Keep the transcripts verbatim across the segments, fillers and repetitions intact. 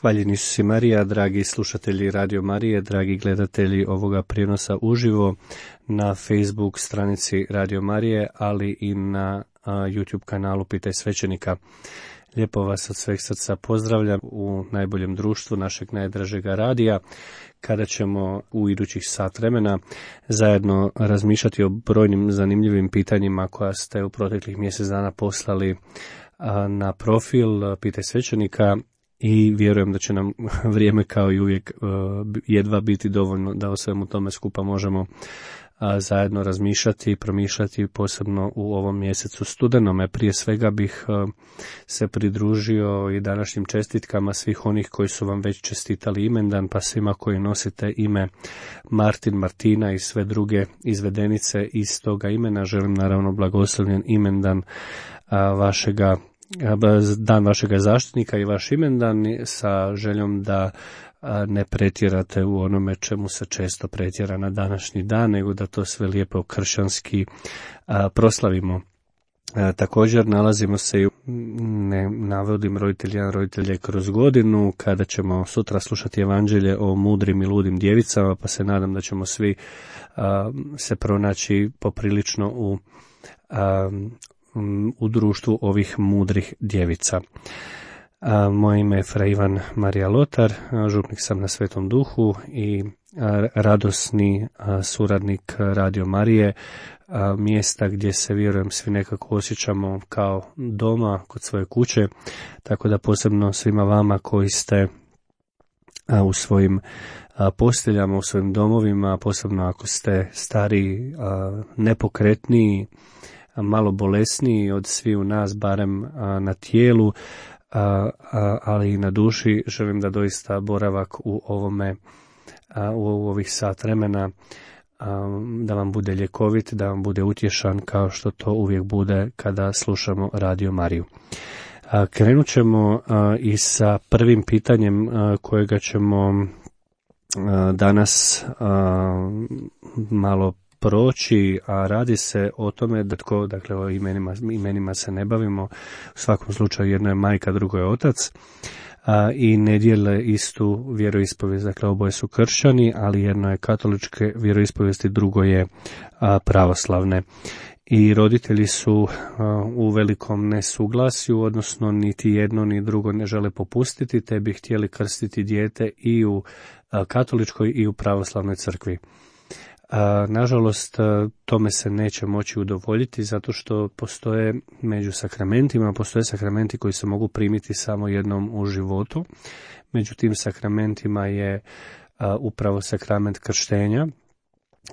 Hvaljeni Isus i Marija, dragi slušatelji Radio Marije, dragi gledatelji ovoga prijenosa uživo na Facebook stranici Radio Marije, ali i na a, YouTube kanalu Pitaj svećenika. Lijepo vas od sveg srca pozdravljam u najboljem društvu našeg najdražega radija, kada ćemo u idućih sat vremena zajedno razmišljati o brojnim zanimljivim pitanjima koja ste u proteklih mjesec dana poslali a, na profil Pitaj svećenika. I vjerujem da će nam vrijeme kao i uvijek jedva biti dovoljno da o svemu tome skupa možemo zajedno razmišljati i promišljati, posebno u ovom mjesecu studenome. Prije svega bih se pridružio i današnjim čestitkama svih onih koji su vam već čestitali imendan, pa svima koji nosite ime Martin, Martina i sve druge izvedenice iz toga imena. Želim naravno blagoslovljen imendan vašega dan vašega zaštitnika i vaš imendan, sa željom da ne pretjerate u onome čemu se često pretjera na današnji dan, nego da to sve lijepo kršćanski proslavimo. Također nalazimo se i, ne navodim roditelja, roditelje kroz godinu, kada ćemo sutra slušati evanđelje o mudrim i ludim djevicama, pa se nadam da ćemo svi se pronaći poprilično u u društvu ovih mudrih djevica. A, moje ime je Fra Ivan Marija Lotar, župnik sam na Svetom Duhu i a, radosni a, suradnik Radio Marije, a, mjesta gdje se, vjerujem, svi nekako osjećamo kao doma kod svoje kuće, tako da posebno svima vama koji ste a, u svojim a, posteljama, u svojim domovima, posebno ako ste stariji, a, nepokretniji, malo bolesniji od svi u nas, barem a, na tijelu, a, a, ali i na duši, želim da doista boravak u ovome, a, u ovih sat vremena, a, da vam bude ljekovit, da vam bude utješan, kao što to uvijek bude kada slušamo Radio Mariju. A, krenut ćemo a, i sa prvim pitanjem a, kojega ćemo a, danas a, malo proći, a radi se o tome da tko, dakle o imenima, imenima se ne bavimo, u svakom slučaju jedno je majka, drugo je otac, a, i ne dijele istu vjeroispovijest, dakle oboje su kršćani, ali jedno je katoličke vjeroispovijesti, drugo je a, pravoslavne. I roditelji su a, u velikom nesuglasju, odnosno niti jedno ni drugo ne žele popustiti, te bi htjeli krstiti dijete i u a, katoličkoj i u pravoslavnoj crkvi. A, nažalost, tome se neće moći udovoljiti, zato što postoje među sakramentima, postoje sakramenti koji se mogu primiti samo jednom u životu. Među tim sakramentima je a, upravo sakrament krštenja,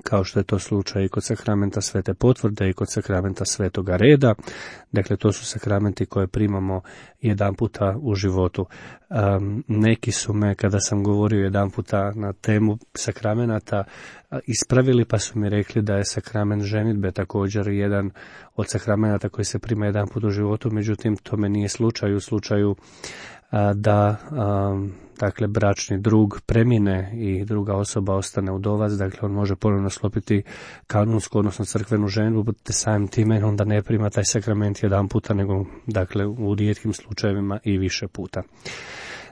kao što je to slučaj i kod sakramenta Svete potvrde i kod sakramenta Svetoga reda. Dakle, to su sakramenti koje primamo jedan puta u životu. Um, neki su me, kada sam govorio jedan puta na temu sakramenata, ispravili, pa su mi rekli da je sakrament ženidbe također jedan od sakramenata koji se prima jedan put u životu, međutim, tome nije slučaj u slučaju a, da a, dakle bračni drug premine i druga osoba ostane udovac, dakle on može ponovno sklopiti kanonsku, odnosno crkvenu ženidbu, te samim time onda ne prima taj sakrament jedan puta, nego dakle u rijetkim slučajevima i više puta.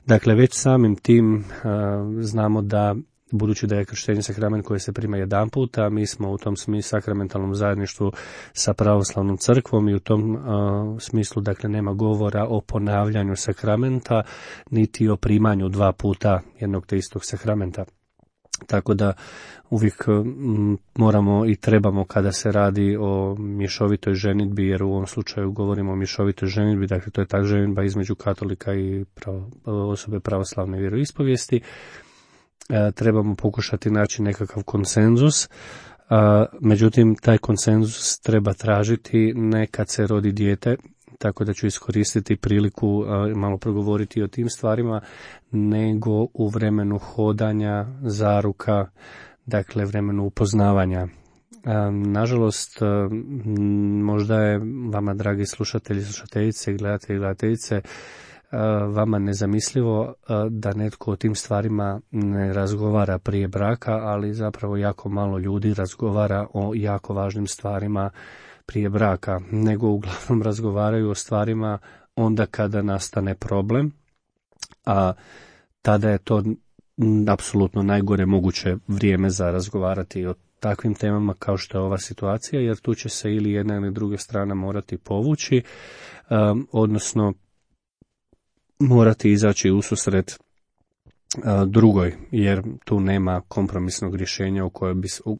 Dakle, već samim tim a, znamo da, budući da je krštenje sakrament koji se prima jedan puta, mi smo u tom smislu sakramentalnom zajedništvu sa pravoslavnom crkvom i u tom uh, smislu, dakle, nema govora o ponavljanju sakramenta, niti o primanju dva puta jednog te istog sakramenta. Tako da uvijek m, moramo i trebamo, kada se radi o mješovitoj ženidbi, jer u ovom slučaju govorimo o mješovitoj ženidbi, dakle to je ta ženidba između katolika i pravo, osobe pravoslavne vjeroispovijesti, trebamo pokušati naći nekakav konsenzus, međutim taj konsenzus treba tražiti ne kad se rodi dijete, tako da ću iskoristiti priliku malo progovoriti o tim stvarima, nego u vremenu hodanja, zaruka, dakle vremenu upoznavanja. Nažalost, možda je vama, dragi slušatelji, slušateljice, gledatelji, gledateljice, vama nezamislivo da netko o tim stvarima ne razgovara prije braka, ali zapravo jako malo ljudi razgovara o jako važnim stvarima prije braka, nego uglavnom razgovaraju o stvarima onda kada nastane problem, a tada je to apsolutno najgore moguće vrijeme za razgovarati o takvim temama kao što je ova situacija, jer tu će se ili jedna ili druga strana morati povući, um, odnosno morati izaći u susret uh, drugoj, jer tu nema kompromisnog rješenja u kojem bi u,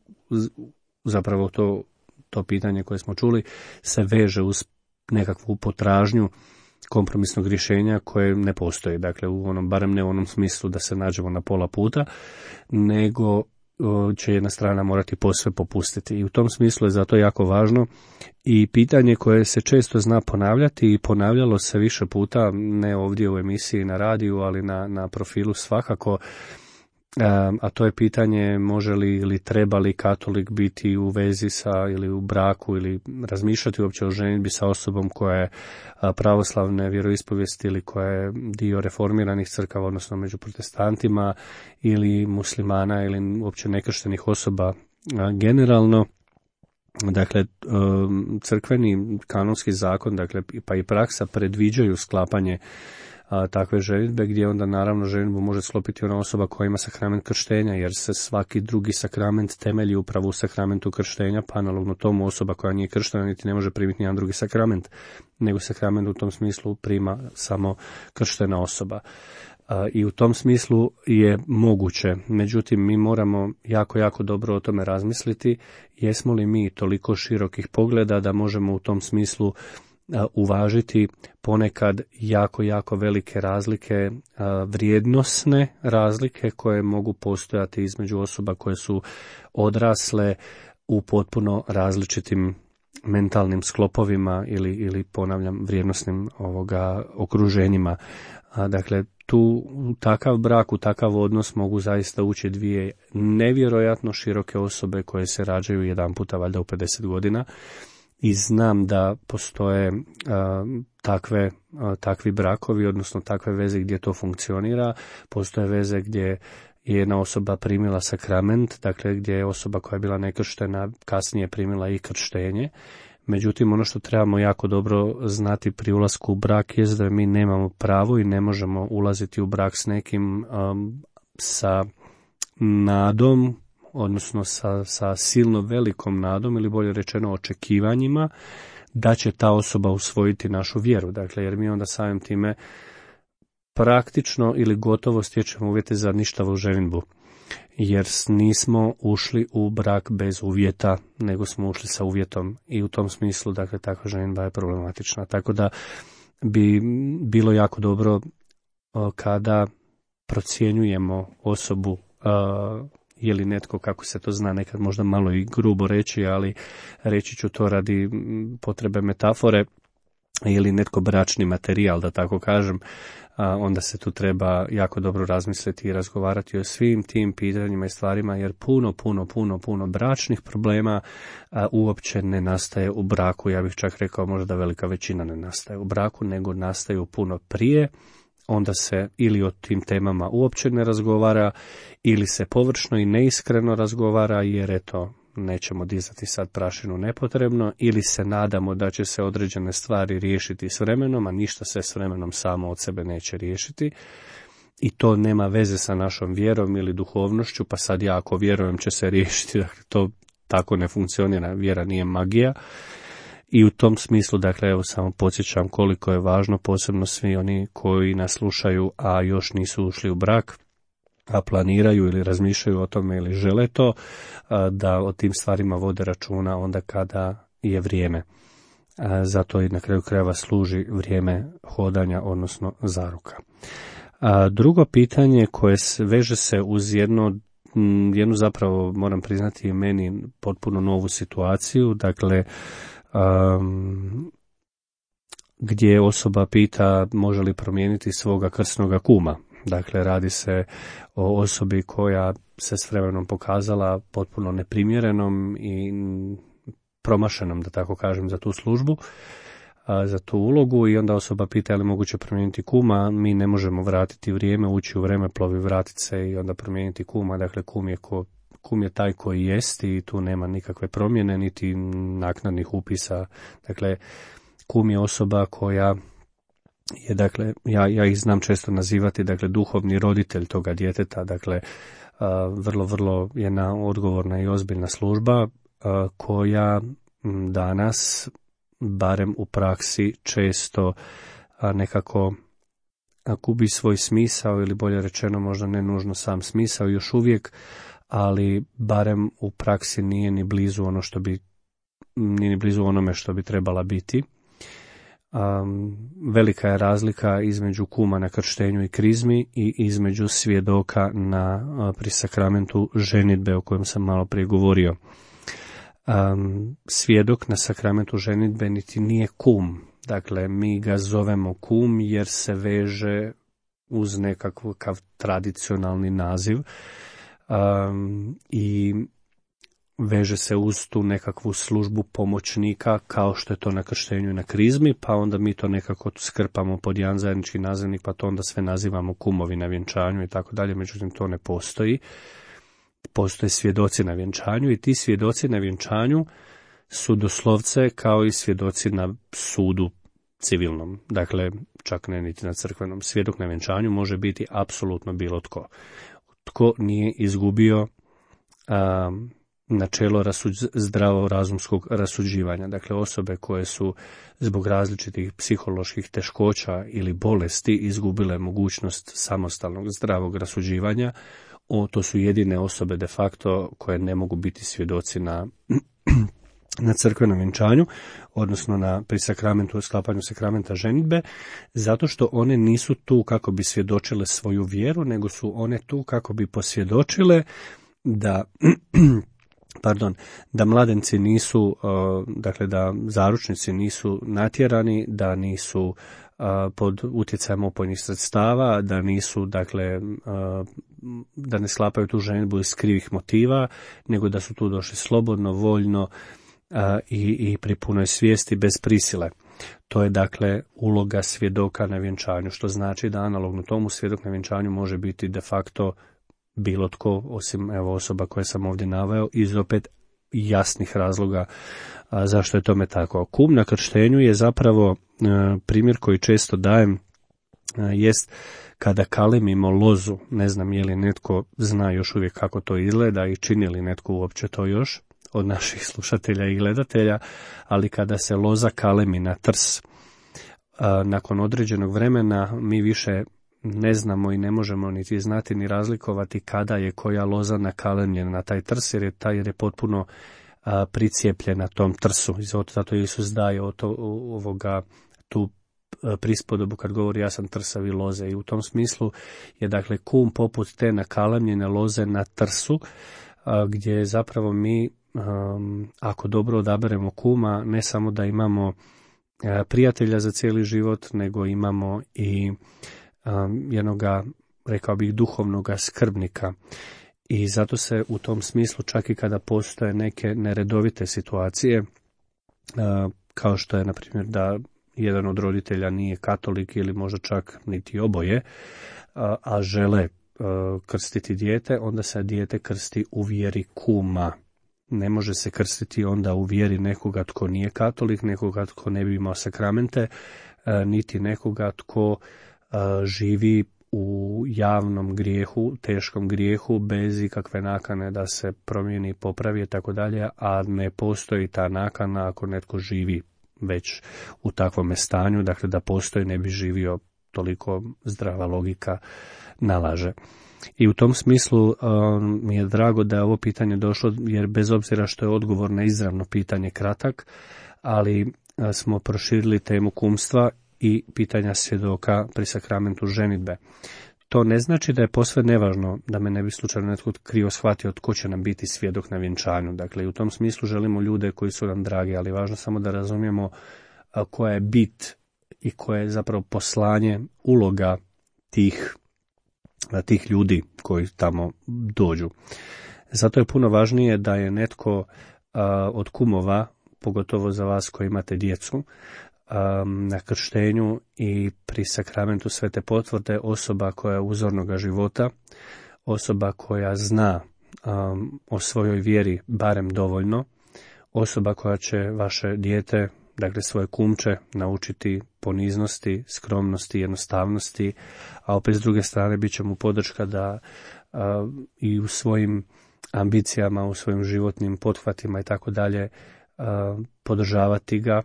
zapravo to, to pitanje koje smo čuli se veže uz nekakvu potražnju kompromisnog rješenja koje ne postoji, dakle u onom, barem ne u onom smislu da se nađemo na pola puta, nego će jedna strana morati posve popustiti. I u tom smislu je zato jako važno i pitanje koje se često zna ponavljati i ponavljalo se više puta, ne ovdje u emisiji na radiju, ali na, na profilu svakako, a to je pitanje može li ili treba li katolik biti u vezi sa ili u braku ili razmišljati uopće o ženidbi sa osobom koja je pravoslavne vjeroispovijesti ili koja je dio reformiranih crkava, odnosno među protestantima ili muslimana ili uopće nekrštenih osoba generalno. Dakle, crkveni kanonski zakon, dakle pa i praksa predviđaju sklapanje a, takve ženidbe, gdje onda naravno ženidbu može sklopiti ona osoba koja ima sakrament krštenja, jer se svaki drugi sakrament temelji upravo u sakramentu krštenja, pa analogno tomu osoba koja nije krštena niti ne može primiti nijedan drugi sakrament, nego sakrament u tom smislu prima samo krštena osoba. A, I u tom smislu je moguće, međutim mi moramo jako, jako dobro o tome razmisliti, jesmo li mi toliko širokih pogleda da možemo u tom smislu uvažiti ponekad jako, jako velike razlike, vrijednosne razlike koje mogu postojati između osoba koje su odrasle u potpuno različitim mentalnim sklopovima ili, ili ponavljam, vrijednosnim ovoga okruženjima. Dakle, tu u takav brak, u takav odnos mogu zaista ući dvije nevjerojatno široke osobe koje se rađaju jedan puta valjda u pedeset godina. I znam da postoje a, takve, a, takvi brakovi, odnosno takve veze gdje to funkcionira. Postoje veze gdje je jedna osoba primila sakrament, dakle gdje je osoba koja je bila nekrštena kasnije primila i krštenje. Međutim, ono što trebamo jako dobro znati pri ulasku u brak je da mi nemamo pravo i ne možemo ulaziti u brak s nekim a, sa nadom, odnosno sa, sa silno velikom nadom ili bolje rečeno očekivanjima da će ta osoba usvojiti našu vjeru. Dakle, jer mi onda samim time praktično ili gotovo stječemo uvjete za ništavu ženidbu. Jer nismo ušli u brak bez uvjeta, nego smo ušli sa uvjetom i u tom smislu, dakle, takva ženidba je problematična. Tako da bi bilo jako dobro kada procjenjujemo osobu, je li netko, kako se to zna nekad možda malo i grubo reći, ali reći ću to radi potrebe metafore, je li netko bračni materijal, da tako kažem, onda se tu treba jako dobro razmisliti i razgovarati o svim tim pitanjima i stvarima, jer puno, puno, puno, puno bračnih problema uopće ne nastaje u braku. Ja bih čak rekao možda velika većina ne nastaje u braku, nego nastaju puno prije. Onda se ili o tim temama uopće ne razgovara, ili se površno i neiskreno razgovara, jer eto, nećemo dizati sad prašinu nepotrebno, ili se nadamo da će se određene stvari riješiti s vremenom, a ništa se s vremenom samo od sebe neće riješiti. I to nema veze sa našom vjerom ili duhovnošću, pa sad ja ako vjerujem će se riješiti, dakle to tako ne funkcionira, vjera nije magija. I u tom smislu, dakle, evo samo podsjećam koliko je važno, posebno svi oni koji nas slušaju, a još nisu ušli u brak, a planiraju ili razmišljaju o tome ili žele to, da o tim stvarima vode računa onda kada je vrijeme. Zato i na kraju krajeva služi vrijeme hodanja, odnosno zaruka. Drugo pitanje koje se veže se uz jedno, jednu zapravo, moram priznati, meni potpuno novu situaciju, dakle, Um, gdje osoba pita može li promijeniti svoga krsnoga kuma. Dakle, radi se o osobi koja se s vremenom pokazala potpuno neprimjerenom i promašenom, da tako kažem, za tu službu, a, za tu ulogu, i onda osoba pita je li moguće promijeniti kuma. Mi ne možemo vratiti vrijeme, ući u vremeplovi, vratiti se i onda promijeniti kuma. Dakle, kum je ko Kum je taj koji jest i tu nema nikakve promjene, niti naknadnih upisa. Dakle, kum je osoba koja je, dakle, ja, ja ih znam često nazivati, dakle, duhovni roditelj toga djeteta, dakle, vrlo, vrlo jedna odgovorna i ozbiljna služba koja danas, barem u praksi, često nekako gubi svoj smisao, ili bolje rečeno možda ne nužno sam smisao još uvijek, ali barem u praksi nije ni blizu ono što bi, nije ni blizu onome što bi trebala biti. Um, velika je razlika između kuma na krštenju i krizmi i između svjedoka na uh, pri sakramentu ženidbe o kojem sam malo prije govorio. Um, svjedok na sakramentu ženidbe niti nije kum, dakle mi ga zovemo kum jer se veže uz nekakav tradicionalni naziv um, i veže se uz tu nekakvu službu pomoćnika kao što je to na krštenju i na krizmi, pa onda mi to nekako skrpamo pod jedan zajednički nazivnik, pa to onda sve nazivamo kumovi na vjenčanju i tako dalje, međutim to ne postoji. Postoje svjedoci na vjenčanju i ti svjedoci na vjenčanju su doslovce kao i svjedoci na sudu civilnom, dakle čak ne niti na crkvenom. Svjedok na vjenčanju može biti apsolutno bilo tko. Tko nije izgubio um, načelo rasuđ, zdravo razumskog rasuđivanja. Dakle, osobe koje su zbog različitih psiholoških teškoća ili bolesti izgubile mogućnost samostalnog zdravog rasuđivanja, o, to su jedine osobe de facto koje ne mogu biti svjedoci na, na crkvenom vjenčanju, odnosno na pri sakramentu, sklapanju sakramenta ženidbe, zato što one nisu tu kako bi svjedočile svoju vjeru, nego su one tu kako bi posvjedočile da pardon, da mladenci nisu, dakle da zaručnici nisu natjerani, da nisu pod utjecajem opojnih sredstava, da nisu, dakle, da ne sklapaju tu ženidbu iz krivih motiva, nego da su tu došli slobodno, voljno i, i pri punoj svijesti bez prisile. To je, dakle, uloga svjedoka na vjenčanju, što znači da analogno tomu svjedok na vjenčanju može biti de facto bilo tko, osim evo osoba koje sam ovdje naveo, iz opet jasnih razloga a, zašto je tome tako. Kum na krštenju je zapravo a, primjer koji često dajem, a, jest kada kalemimo lozu. Ne znam je li netko zna još uvijek kako to izgleda i čini li netko uopće to još od naših slušatelja i gledatelja, ali kada se loza kalemi na trs, a, nakon određenog vremena mi više ne znamo i ne možemo niti znati ni razlikovati kada je koja loza nakalemljena na taj trs, jer je, taj, jer je potpuno a, pricijepljena tom trsu. I zato Isus daje o to, o, ovoga, tu a, prispodobu kad govori ja sam trsavi loze. I u tom smislu je, dakle, kum poput te nakalemljene loze na trsu, a, gdje zapravo mi, a, ako dobro odaberemo kuma, ne samo da imamo a, prijatelja za cijeli život, nego imamo i Um, jednoga, rekao bih, duhovnoga skrbnika. I zato se u tom smislu, čak i kada postoje neke neredovite situacije, uh, kao što je, na primjer, da jedan od roditelja nije katolik ili možda čak niti oboje, uh, a žele uh, krstiti dijete, onda se dijete krsti u vjeri kuma. Ne može se krstiti onda u vjeri nekoga tko nije katolik, nekoga tko ne bi imao sakramente, uh, niti nekoga tko živi u javnom grijehu, teškom grijehu, bez ikakve nakane da se promijeni i popravi i tako dalje, a ne postoji ta nakana ako netko živi već u takvome stanju, dakle da postoji ne bi živio, toliko zdrava logika nalaže. I u tom smislu um, mi je drago da je ovo pitanje došlo, jer bez obzira što je odgovor na izravno pitanje kratak, ali uh, smo proširili temu kumstva i pitanja svjedoka pri sakramentu ženidbe. To ne znači da je posve nevažno, da me ne bi slučajno netko krivo shvatio tko će nam biti svjedok na vjenčanju. Dakle, i u tom smislu želimo ljude koji su nam dragi, ali važno samo da razumijemo koja je bit i koje je zapravo poslanje, uloga tih, tih ljudi koji tamo dođu. Zato je puno važnije da je netko a, od kumova, pogotovo za vas koji imate djecu, na krštenju i pri sakramentu Svete potvrde osoba koja je uzornoga života, osoba koja zna um, o svojoj vjeri barem dovoljno, osoba koja će vaše dijete dakle svoje kumče naučiti poniznosti, skromnosti, jednostavnosti, a opet s druge strane bit će mu podrška da a, i u svojim ambicijama, u svojim životnim pothvatima i tako dalje podržavati ga.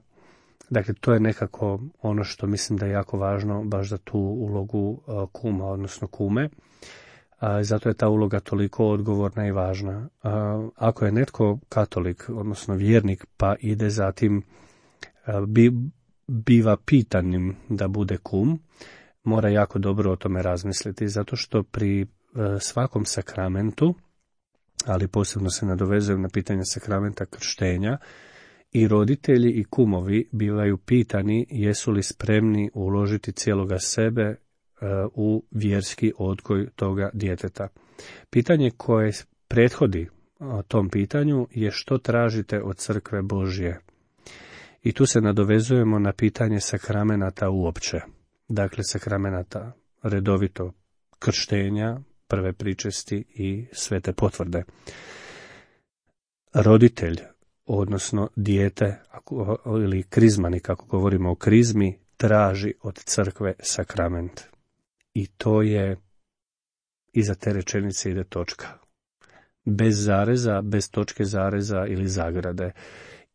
Dakle, to je nekako ono što mislim da je jako važno baš za tu ulogu a, kuma, odnosno kume. A, zato je ta uloga toliko odgovorna i važna. A, ako je netko katolik, odnosno vjernik, pa ide zatim a, bi, biva pitanim da bude kum, mora jako dobro o tome razmisliti, zato što pri a, svakom sakramentu, ali posebno se nadovezujem na pitanje sakramenta krštenja, i roditelji i kumovi bivaju pitani jesu li spremni uložiti cijeloga sebe u vjerski odgoj toga djeteta. Pitanje koje prethodi tom pitanju je što tražite od crkve Božje. I tu se nadovezujemo na pitanje sakramenata uopće. Dakle, sakramenata redovito krštenja, prve pričesti i svete potvrde. Roditelj, odnosno dijete ili krizmani, kako govorimo o krizmi, traži od crkve sakrament. I to je, iza te rečenice ide točka. Bez zareza, bez točke zareza ili zagrade.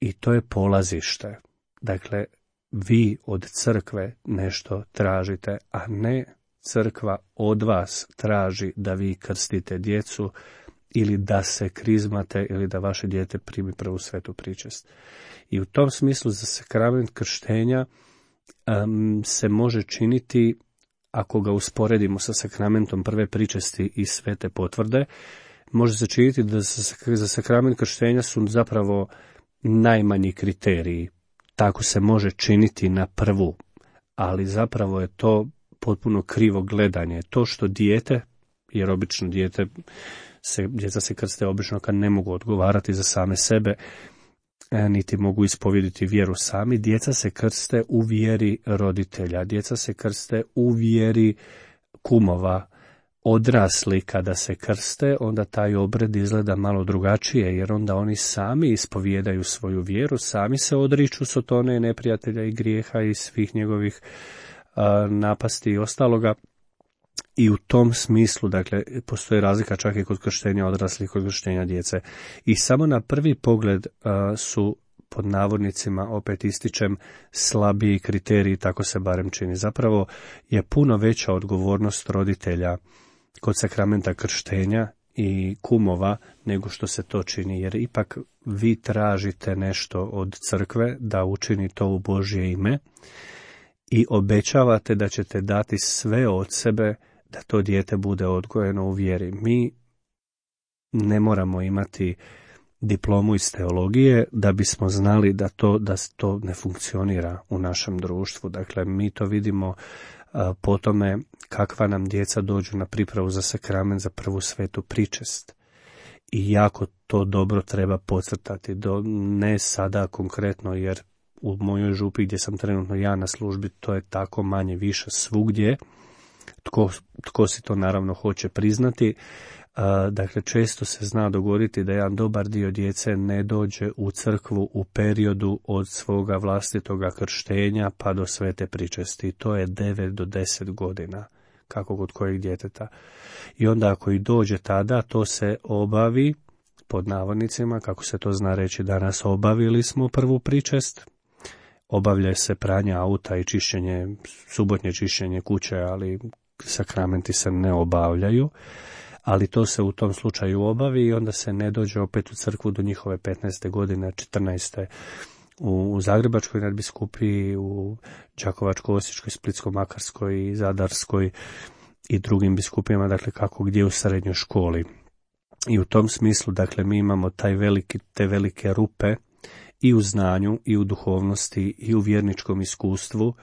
I to je polazište. Dakle, vi od crkve nešto tražite, a ne crkva od vas traži da vi krstite djecu ili da se krizmate ili da vaše dijete primi prvu svetu pričest. I u tom smislu za sakrament krštenja um, se može činiti, ako ga usporedimo sa sakramentom prve pričesti i svete potvrde, može se činiti da za sakrament krštenja su zapravo najmanji kriteriji. Tako se može činiti na prvu, ali zapravo je to potpuno krivo gledanje. To što dijete, jer obično dijete se, djeca se krste obično kad ne mogu odgovarati za same sebe, niti mogu ispovjediti vjeru sami, djeca se krste u vjeri roditelja, djeca se krste u vjeri kumova. Odrasli kada se krste, onda taj obred izgleda malo drugačije, jer onda oni sami ispovijedaju svoju vjeru, sami se odriču Sotone, neprijatelja i grijeha i svih njegovih a, napasti i ostaloga. I u tom smislu, dakle, postoji razlika čak i kod krštenja odraslih, kod krštenja djece. I samo na prvi pogled a, su, pod navodnicima, opet ističem, slabiji kriteriji, tako se barem čini. Zapravo je puno veća odgovornost roditelja kod sakramenta krštenja i kumova nego što se to čini, jer ipak vi tražite nešto od crkve da učini to u Božje ime i obećavate da ćete dati sve od sebe da to dijete bude odgojeno u vjeri. Mi ne moramo imati diplomu iz teologije da bismo znali da to, da to ne funkcionira u našem društvu. Dakle, mi to vidimo a, po tome kakva nam djeca dođu na pripravu za sakrament, za prvu svetu pričest. I jako to dobro treba podcrtati, do, ne sada konkretno, jer u mojoj župi gdje sam trenutno ja na službi, to je tako manje više svugdje. Tko, tko si to naravno hoće priznati. A, dakle, često se zna dogoditi da jedan dobar dio djece ne dođe u crkvu u periodu od svoga vlastitoga krštenja pa do svete pričesti. I to je devet do deset godina, kako kod kojeg djeteta. I onda ako i dođe tada, to se obavi, pod navodnicima, kako se to zna reći danas, obavili smo prvu pričest. Obavlja se pranje auta i čišćenje, subotnje čišćenje kuće, ali sakramenti se ne obavljaju. Ali to se u tom slučaju obavi i onda se ne dođe opet u crkvu do njihove petnaeste godine, četrnaeste u Zagrebačkoj nadbiskupiji, u Đakovačko-Osječkoj, Splitsko-Makarskoj i Zadarskoj i drugim biskupijama, dakle kako gdje u srednjoj školi. I u tom smislu, dakle, mi imamo taj veliki, te velike rupe i u znanju, i u duhovnosti, i u vjerničkom iskustvu.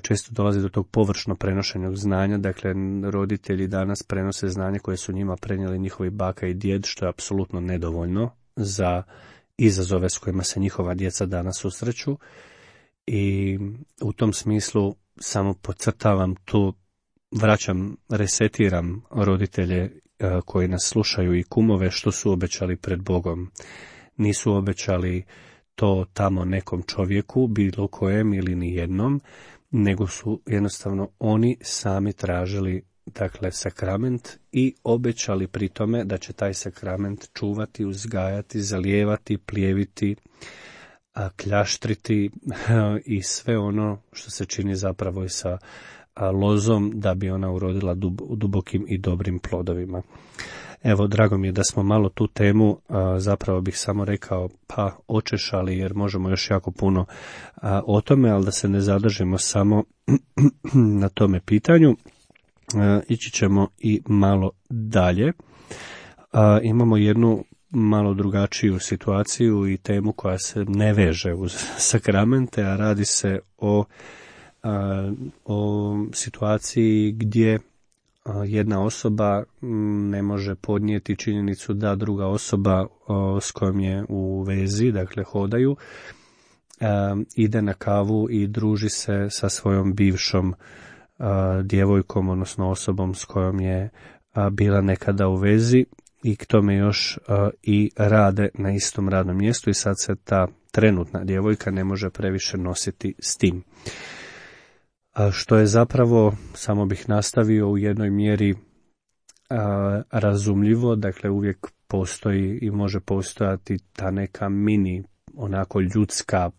Često dolazi do tog površno prenošenog znanja, dakle roditelji danas prenose znanje koje su njima prenijeli njihovi baka i djed, što je apsolutno nedovoljno za izazove s kojima se njihova djeca danas susreću. I u tom smislu samo podcrtavam tu, vraćam, resetiram roditelje koji nas slušaju i kumove što su obećali pred Bogom. Nisu obećali to tamo nekom čovjeku, bilo kojem ili ni jednom, nego su jednostavno oni sami tražili, dakle, sakrament i obećali pri tome da će taj sakrament čuvati, uzgajati, zalijevati, plijeviti, a, kljaštriti i sve ono što se čini zapravo i sa a, lozom da bi ona urodila dub, dubokim i dobrim plodovima. Evo, drago mi je da smo malo tu temu, a, zapravo bih samo rekao, pa očešali, jer možemo još jako puno a, o tome, ali da se ne zadržimo samo na tome pitanju. A, ići ćemo i malo dalje. A, imamo jednu malo drugačiju situaciju i temu koja se ne veže uz sakramente, a radi se o, a, o situaciji gdje jedna osoba ne može podnijeti činjenicu da druga osoba o, s kojom je u vezi, dakle hodaju, a, ide na kavu i druži se sa svojom bivšom a, djevojkom, odnosno osobom s kojom je a, bila nekada u vezi, i k tome još a, i rade na istom radnom mjestu, i sad se ta trenutna djevojka ne može previše nositi s tim. A što je zapravo, samo bih nastavio, u jednoj mjeri a, razumljivo, dakle uvijek postoji i može postojati ta neka mini, onako ljudska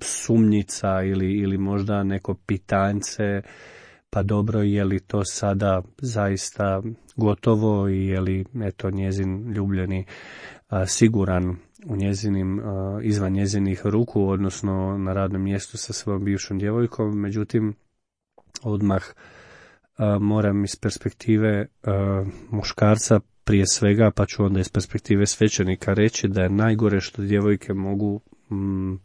sumnjica ili, ili možda neko pitanjce, pa dobro, je li to sada zaista gotovo i je li eto njezin ljubljeni a, siguran u njezinim, a, izvan njezinih ruku, odnosno na radnom mjestu sa svojom bivšom djevojkom. Međutim, odmah a, moram iz perspektive a, muškarca prije svega, pa ću onda iz perspektive svećenika reći da je najgore što djevojke mogu m,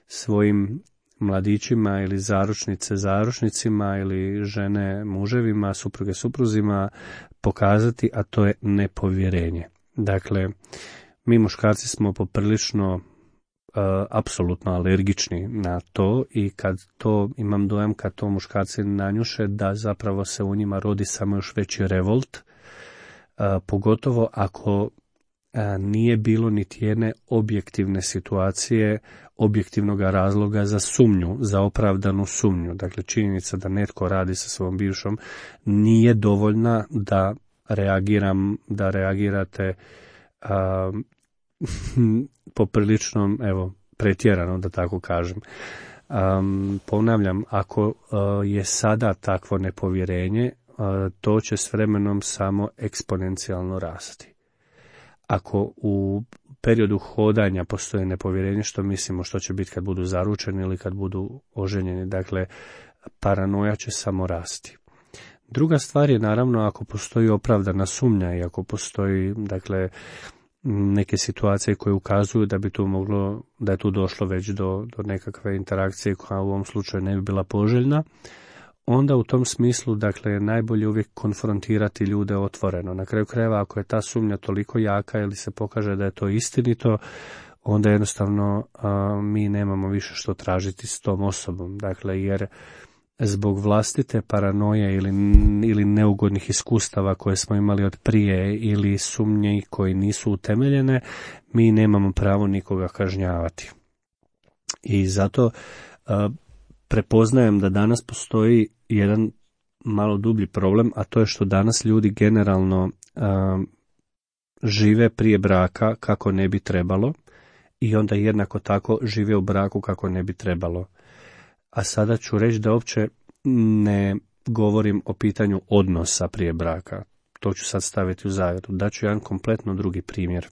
svojim mladićima ili zaručnice zaručnicima ili žene muževima, supruge supruzima pokazati, a to je nepovjerenje. Dakle, mi muškarci smo poprilično uh, apsolutno alergični na to, i kad to, imam dojam, kad to muškarci nanjuše, da zapravo se u njima rodi samo još veći revolt, uh, pogotovo ako uh, nije bilo niti jedne objektivne situacije, objektivnog razloga za sumnju, za opravdanu sumnju. Dakle, činjenica da netko radi sa svojom bivšom nije dovoljna da reagiram, da reagirate a, poprilično, evo, pretjerano, da tako kažem. A, ponavljam, ako a, je sada takvo nepovjerenje, a, to će s vremenom samo eksponencijalno rasti. Ako u periodu hodanja postoji nepovjerenje, što mislimo što će biti kad budu zaručeni ili kad budu oženjeni, dakle, paranoja će samo rasti. Druga stvar je, naravno, ako postoji opravdana sumnja i ako postoji, dakle, neke situacije koje ukazuju da bi tu moglo, da je tu došlo već do, do nekakve interakcije koja u ovom slučaju ne bi bila poželjna, onda u tom smislu, dakle, najbolje uvijek konfrontirati ljude otvoreno. Na kraju krajeva, ako je ta sumnja toliko jaka ili se pokaže da je to istinito, onda jednostavno a, mi nemamo više što tražiti s tom osobom. Dakle, jer zbog vlastite paranoje ili, ili neugodnih iskustava koje smo imali od prije ili sumnje koji nisu utemeljene, mi nemamo pravo nikoga kažnjavati. I zato a, prepoznajem da danas postoji jedan malo dublji problem, a to je što danas ljudi generalno a, žive prije braka kako ne bi trebalo i onda jednako tako žive u braku kako ne bi trebalo. A sada ću reći da uopće ne govorim o pitanju odnosa prije braka. To ću sad staviti u zagradu. Daću jedan kompletno drugi primjer.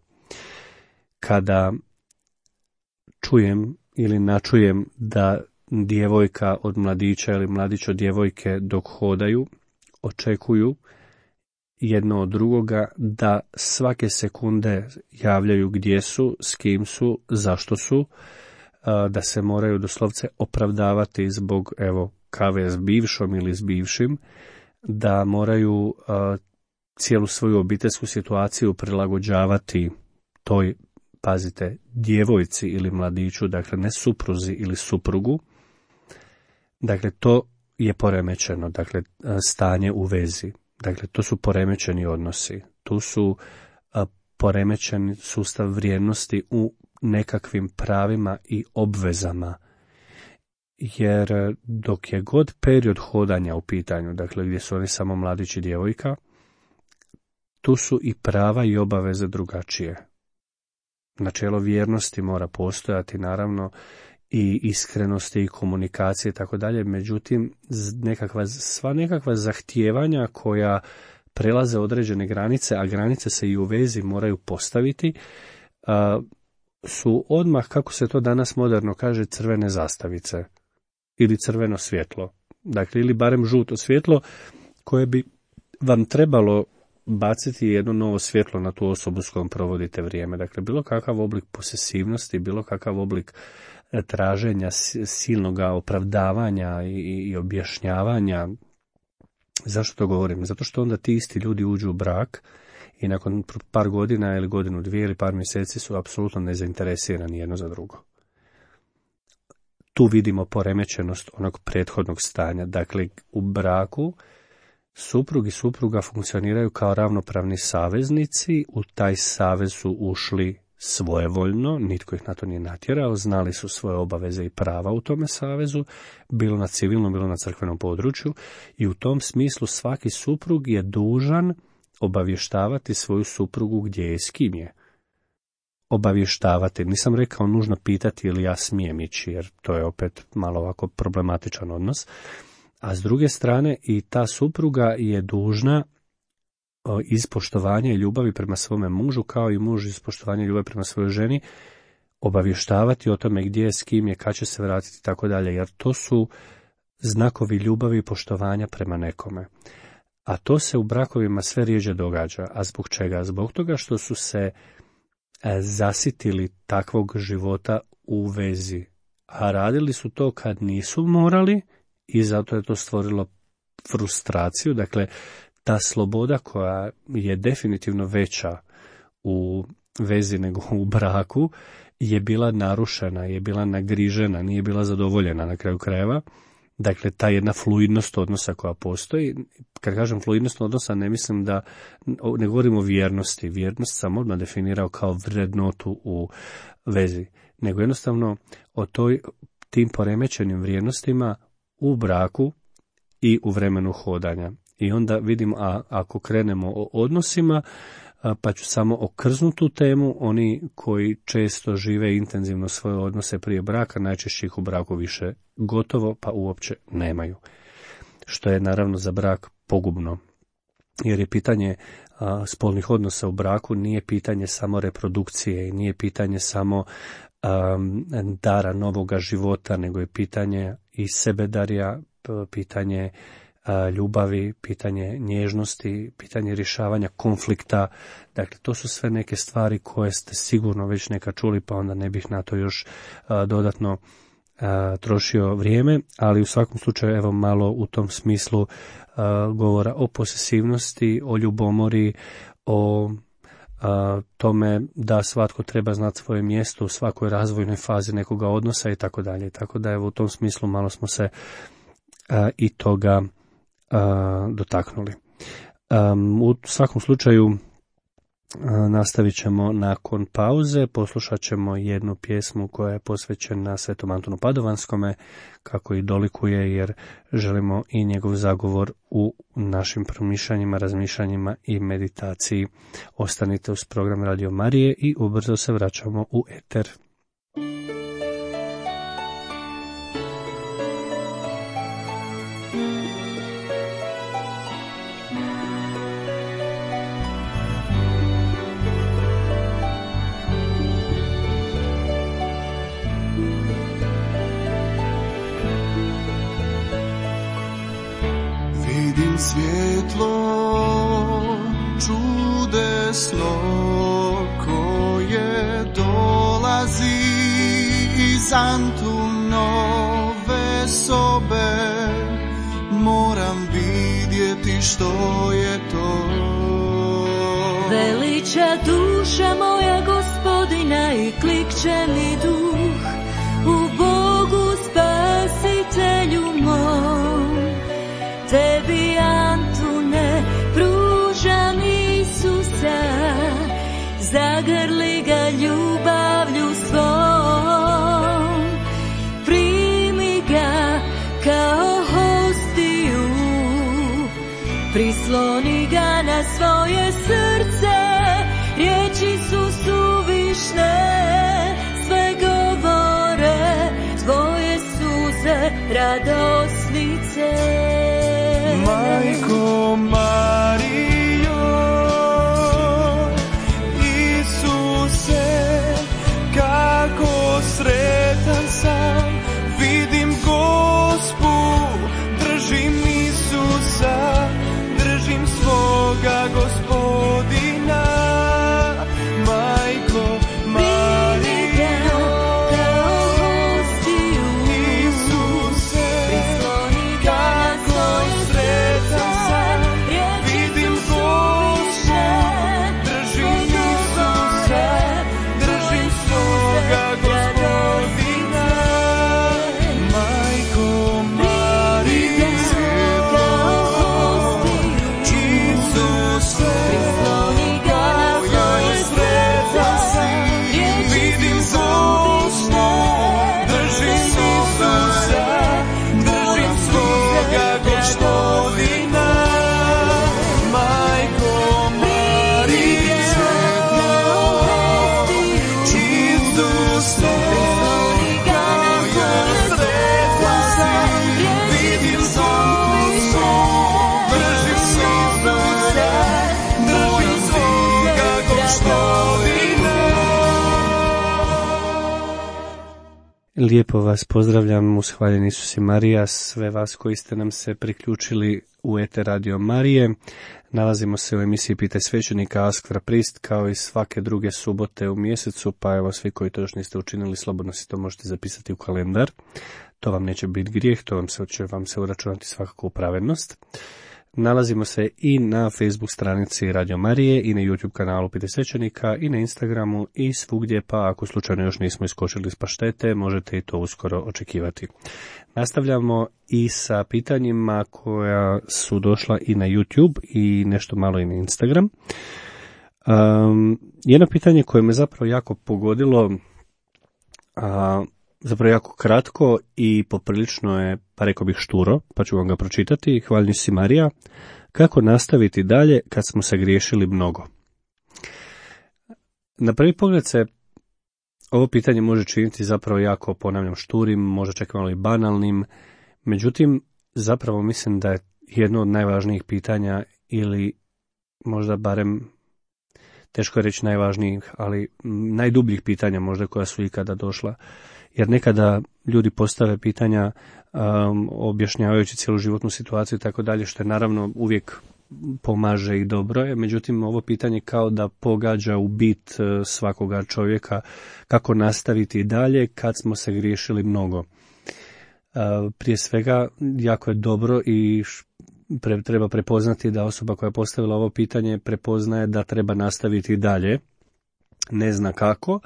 Kada čujem ili načujem da djevojka od mladića ili mladić od djevojke dok hodaju očekuju jedno od drugoga da svake sekunde javljaju gdje su, s kim su, zašto su, da se moraju doslovce opravdavati zbog, evo, kave s bivšom ili s bivšim, da moraju cijelu svoju obiteljsku situaciju prilagođavati toj, pazite, djevojci ili mladiću, dakle ne supruzi ili suprugu. Dakle, to je poremećeno, dakle, stanje u vezi. Dakle, to su poremećeni odnosi. Tu su a, poremećeni sustav vrijednosti u nekakvim pravima i obvezama. Jer dok je god period hodanja u pitanju, dakle gdje su oni samo mladić i djevojka, tu su i prava i obaveze drugačije. Načelo vjernosti mora postojati, naravno, i iskrenosti i komunikacije i tako dalje, međutim nekakva, sva nekakva zahtijevanja koja prelaze određene granice, a granice se i u vezi moraju postaviti, a, su odmah, kako se to danas moderno kaže, crvene zastavice ili crveno svjetlo. Dakle, ili barem žuto svjetlo koje bi vam trebalo baciti jedno novo svjetlo na tu osobu s kojom provodite vrijeme. Dakle, bilo kakav oblik posesivnosti, bilo kakav oblik traženja silnog opravdavanja i, i objašnjavanja. Zašto to govorim? Zato što onda ti isti ljudi uđu u brak i nakon par godina ili godinu, dvije ili par mjeseci su apsolutno nezainteresirani jedno za drugo. Tu vidimo poremećenost onog prethodnog stanja. Dakle, u braku suprug i supruga funkcioniraju kao ravnopravni saveznici, u taj savez su ušli svojevoljno, nitko ih na to nije natjerao, znali su svoje obaveze i prava u tome savezu, bilo na civilnom, bilo na crkvenom području, i u tom smislu svaki suprug je dužan obavještavati svoju suprugu gdje je i s kim je. Obavještavati, nisam rekao nužno pitati ili ja smijem ići, jer to je opet malo ovako problematičan odnos, a s druge strane i ta supruga je dužna iz poštovanja i ljubavi prema svome mužu, kao i muž iz poštovanja i ljubavi prema svojoj ženi, obavještavati o tome gdje je, s kim je, kad će se vratiti i tako dalje, jer to su znakovi ljubavi i poštovanja prema nekome. A to se u brakovima sve rijeđe događa. A zbog čega? Zbog toga što su se zasitili takvog života u vezi. A radili su to kad nisu morali i zato je to stvorilo frustraciju. Dakle, ta sloboda koja je definitivno veća u vezi nego u braku je bila narušena, je bila nagrižena, nije bila zadovoljena na kraju krajeva. Dakle, ta jedna fluidnost odnosa koja postoji, kad kažem fluidnost odnosa, ne mislim da, ne govorim o vjernosti, vjernost sam odmah definirao kao vrednotu u vezi, nego jednostavno o toj, tim poremećenim vrijednostima u braku i u vremenu hodanja. I onda vidimo, a ako krenemo o odnosima, pa ću samo okrznuti tu temu, oni koji često žive intenzivno svoje odnose prije braka, najčešće ih u braku više gotovo, pa uopće nemaju. Što je naravno za brak pogubno, jer je pitanje a, spolnih odnosa u braku nije pitanje samo reprodukcije i nije pitanje samo a, dara novoga života, nego je pitanje i sebedarja, pitanje ljubavi, pitanje nježnosti, pitanje rješavanja konflikta. Dakle, to su sve neke stvari koje ste sigurno već nekad čuli, pa onda ne bih na to još a, dodatno a, trošio vrijeme, ali u svakom slučaju evo malo u tom smislu a, govora o posesivnosti, o ljubomori, o a, tome da svatko treba znati svoje mjesto u svakoj razvojnoj fazi nekoga odnosa i tako dalje. Tako da evo u tom smislu malo smo se a, i toga Uh, dotaknuli. Um, u svakom slučaju uh, nastavit ćemo nakon pauze, poslušat ćemo jednu pjesmu koja je posvećena Svetom Antunu Padovanskome, kako i dolikuje, jer želimo i njegov zagovor u našim promišljanjima, razmišljanjima i meditaciji. Ostanite uz program Radio Marije i ubrzo se vraćamo u eter. Svjetlo čudesno koje dolazi iz Antunove sobe, moram vidjeti što je to. Veliča duša moja Gospodina i klikće mi duh u Bogu Spasitelju mom. Tebi, Antune, pružam Isusa, zagrli ga ljubavlju svojom. prisloni ga na svoje srce, riječi su suvišne, sve govore tvoje suze radosnice. Majko Marijo, Isuse, kako sretan sam, vidim Gospu, držim Isusa, držim svoga Gospodina. Majko Marijo, Isuse, kako sretan sam, vidim Gospu, držim Isusa, držim svoga Gospodina. Majko Marijo, Isuse, kako sretan sam, vidim Gospu, držim Isusa, držim svoga Gospodina. Majko Marijo, Isuse, kako sretan sam, vidim Gospu, držim Isusa, držim svoga Gospodina. Lijepo vas pozdravljam, ushvaljen Isus i Marija, sve vas koji ste nam se priključili u Eter Radio Marije. Nalazimo se u emisiji Pitaj svećenika Ask the Priest, kao i svake druge subote u mjesecu, pa evo svi koji to još niste učinili, slobodno si to možete zapisati u kalendar. To vam neće biti grijeh, to vam se, će vam se uračunati svakako u pravednost. Nalazimo se i na Facebook stranici Radio Marije i na YouTube kanalu Pitaj svećenika i na Instagramu i svugdje, pa ako slučajno još nismo iskočili iz paštete, možete i to uskoro očekivati. Nastavljamo i sa pitanjima koja su došla i na YouTube i nešto malo i na Instagram. Um, jedno pitanje koje me zapravo jako pogodilo, a zapravo jako kratko i poprilično je, pa rekao bih šturo, pa ću vam ga pročitati. Hvaljen si Marija, kako nastaviti dalje kad smo se griješili mnogo? Na prvi pogled se ovo pitanje može činiti zapravo jako, ponavljam, šturim, možda čak malo i banalnim, međutim, zapravo mislim da je jedno od najvažnijih pitanja ili možda barem, teško je reći najvažnijih, ali najdubljih pitanja možda koja su ikada došla. Jer nekada ljudi postave pitanja um, objašnjavajući cijelu životnu situaciju i tako dalje, što je naravno uvijek pomaže i dobro je. Međutim, ovo pitanje kao da pogađa u bit uh, svakoga čovjeka, kako nastaviti dalje kad smo se griješili mnogo. Uh, prije svega, jako je dobro i pre, treba prepoznati da osoba koja je postavila ovo pitanje prepoznaje da treba nastaviti dalje, ne zna kako,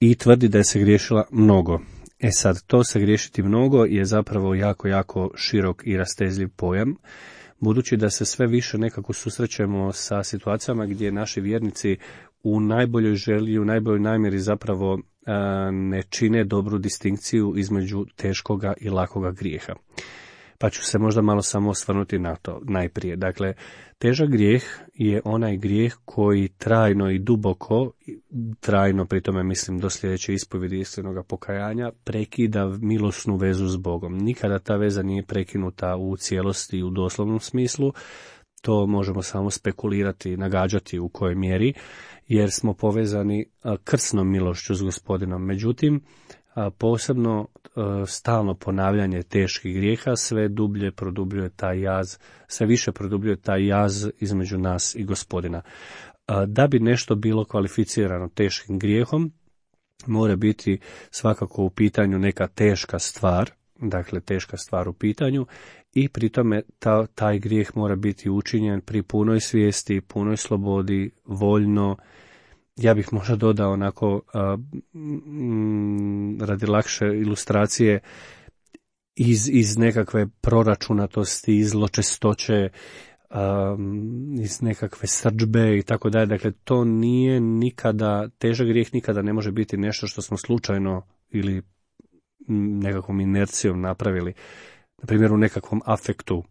i tvrdi da je se griješila mnogo. E sad, to se griješiti mnogo je zapravo jako, jako širok i rastezljiv pojam, budući da se sve više nekako susrećemo sa situacijama gdje naši vjernici u najboljoj želji, u najboljoj namjeri zapravo a, ne čine dobru distinkciju između teškoga i lakoga grijeha. Pa ću se možda malo samo osvrnuti na to najprije. Dakle, težak grijeh je onaj grijeh koji trajno i duboko, trajno pri tome mislim do sljedeće ispovjedi iskrenog pokajanja, prekida milosnu vezu s Bogom. Nikada ta veza nije prekinuta u cijelosti u doslovnom smislu, to možemo samo spekulirati, nagađati u kojoj mjeri, jer smo povezani krsnom milošću s Gospodinom. Međutim, posebno stalno ponavljanje teških grijeha sve dublje produbljuje taj jaz, sve više produbljuje taj jaz između nas i Gospodina. Da bi nešto bilo kvalificirano teškim grijehom, mora biti svakako u pitanju neka teška stvar, dakle teška stvar u pitanju, i pri tome ta, taj grijeh mora biti učinjen pri punoj svijesti, punoj slobodi, voljno. Ja bih možda dodao onako a, m, radi lakše ilustracije iz, iz nekakve proračunatosti, iz zločestoće, a, iz nekakve srdžbe i tako dalje. Dakle, to nije nikada, težak grijeh nikada ne može biti nešto što smo slučajno ili nekakvom inercijom napravili, na primjer u nekakvom afektu.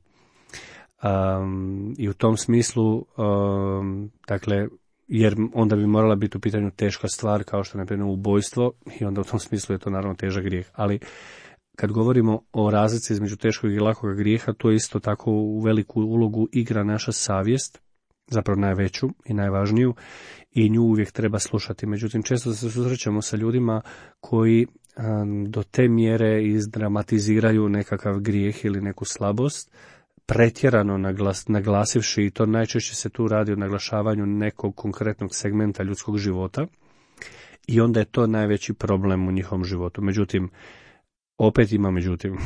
Um, I u tom smislu, um, dakle, jer onda bi morala biti u pitanju teška stvar kao što je na primjer ubojstvo i onda u tom smislu je to naravno težak grijeh. Ali kad govorimo o razlici između teškog i lakog grijeha, to isto tako u veliku ulogu igra naša savjest, zapravo najveću i najvažniju, i nju uvijek treba slušati. Međutim, često se susrećemo sa ljudima koji um, do te mjere izdramatiziraju nekakav grijeh ili neku slabost, pretjerano naglas, naglasivši, i to najčešće se tu radi o naglašavanju nekog konkretnog segmenta ljudskog života, i onda je to najveći problem u njihovom životu. Međutim, opet ima međutim,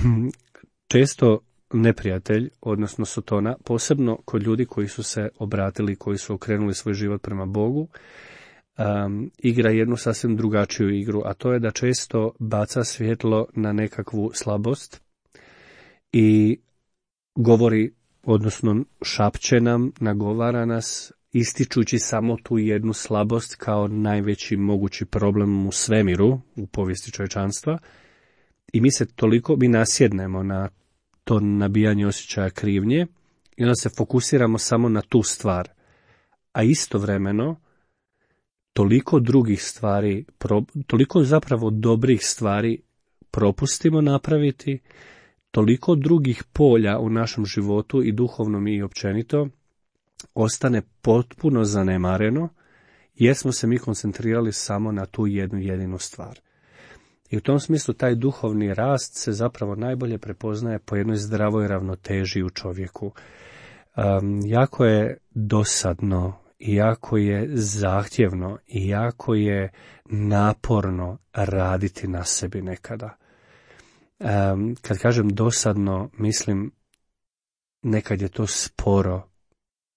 često neprijatelj, odnosno Sotona, posebno kod ljudi koji su se obratili, koji su okrenuli svoj život prema Bogu, um, igra jednu sasvim drugačiju igru, a to je da često baca svjetlo na nekakvu slabost i govori, odnosno šapće nam, nagovara nas, ističući samo tu jednu slabost kao najveći mogući problem u svemiru, u povijesti čovječanstva, i mi se toliko, mi nasjednemo na to nabijanje osjećaja krivnje i onda se fokusiramo samo na tu stvar. A istovremeno, toliko drugih stvari, toliko zapravo dobrih stvari propustimo napraviti, toliko drugih polja u našem životu i duhovnom i općenito ostane potpuno zanemareno, jer smo se mi koncentrirali samo na tu jednu jedinu stvar. I u tom smislu taj duhovni rast se zapravo najbolje prepoznaje po jednoj zdravoj ravnoteži u čovjeku. Um, jako je dosadno i jako je zahtjevno i jako je naporno raditi na sebi nekada. Um, kad kažem dosadno, mislim nekad je to sporo,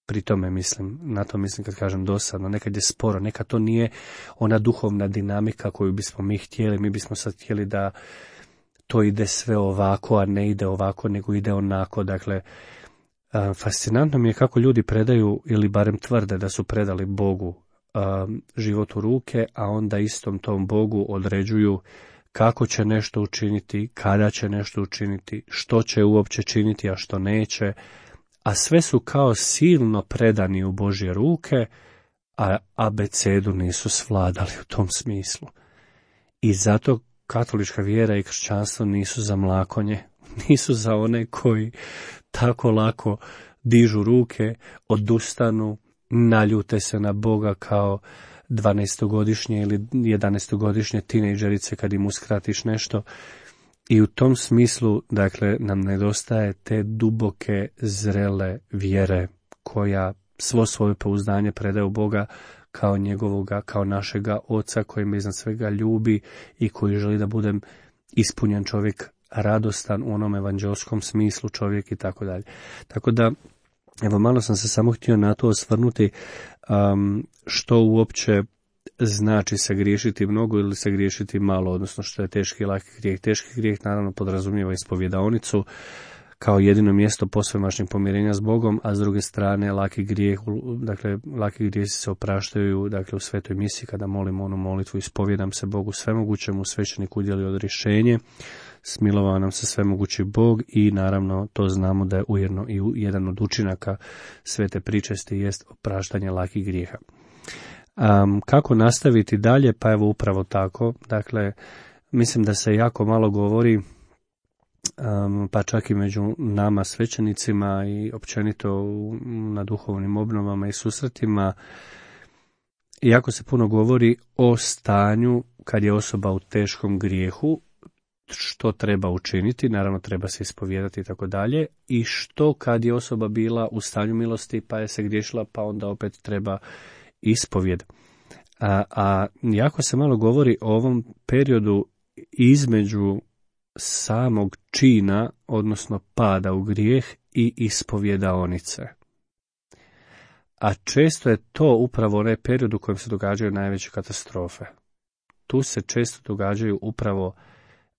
pri tome mislim, na to mislim kad kažem dosadno, nekad je sporo, nekad to nije ona duhovna dinamika koju bismo mi htjeli, mi bismo sad htjeli da to ide sve ovako, a ne ide ovako, nego ide onako. Dakle, um, fascinantno mi je kako ljudi predaju, ili barem tvrde da su predali Bogu um, život u ruke, a onda istom tom Bogu određuju kako će nešto učiniti, kada će nešto učiniti, što će uopće činiti, a što neće, a sve su kao silno predani u Božje ruke, a abecedu nisu svladali u tom smislu. I zato katolička vjera i kršćanstvo nisu za mlakonje, nisu za one koji tako lako dižu ruke, odustanu, naljute se na Boga kao dvanaestogodišnje ili jedanaestogodišnje tinejdžerice kad im uskratiš nešto. I u tom smislu, dakle, nam nedostaje te duboke, zrele vjere koja svo svoje pouzdanje predaje u Boga kao njegovoga, kao našega Oca koji me iznad svega ljubi i koji želi da budem ispunjen čovjek, radostan u onom evanđelskom smislu čovjek i tako dalje. Tako da, evo, malo sam se samo htio na to osvrnuti, um, što uopće znači se griješiti mnogo ili se griješiti malo, odnosno što je teški i laki grijeh. Teški grijeh naravno podrazumijeva ispovjedaonicu kao jedino mjesto posvemašnjeg pomirenja s Bogom, a s druge strane laki grijeh, dakle laki grijesi se opraštaju, dakle u svetoj misi kada molimo onu molitvu ispovjedam se Bogu svemogućemu, svećenik udjeli odrješenje, smilovao nam se svemogući Bog, i naravno to znamo da je ujedno i jedan od učinaka svete pričesti jest opraštanje lakih grijeha. Um, kako nastaviti dalje? Pa evo upravo tako. Dakle, mislim da se jako malo govori, um, pa čak i među nama svećenicima i općenito u, na duhovnim obnovama i susretima, jako se puno govori o stanju kad je osoba u teškom grijehu, što treba učiniti, naravno treba se ispovijedati i tako dalje, i što kad je osoba bila u stanju milosti pa je se griješila, pa onda opet treba ispovjed. A, a jako se malo govori o ovom periodu između samog čina, odnosno pada u grijeh, i ispovjedaonice. A često je to upravo onaj period u kojem se događaju najveće katastrofe. Tu se često događaju upravo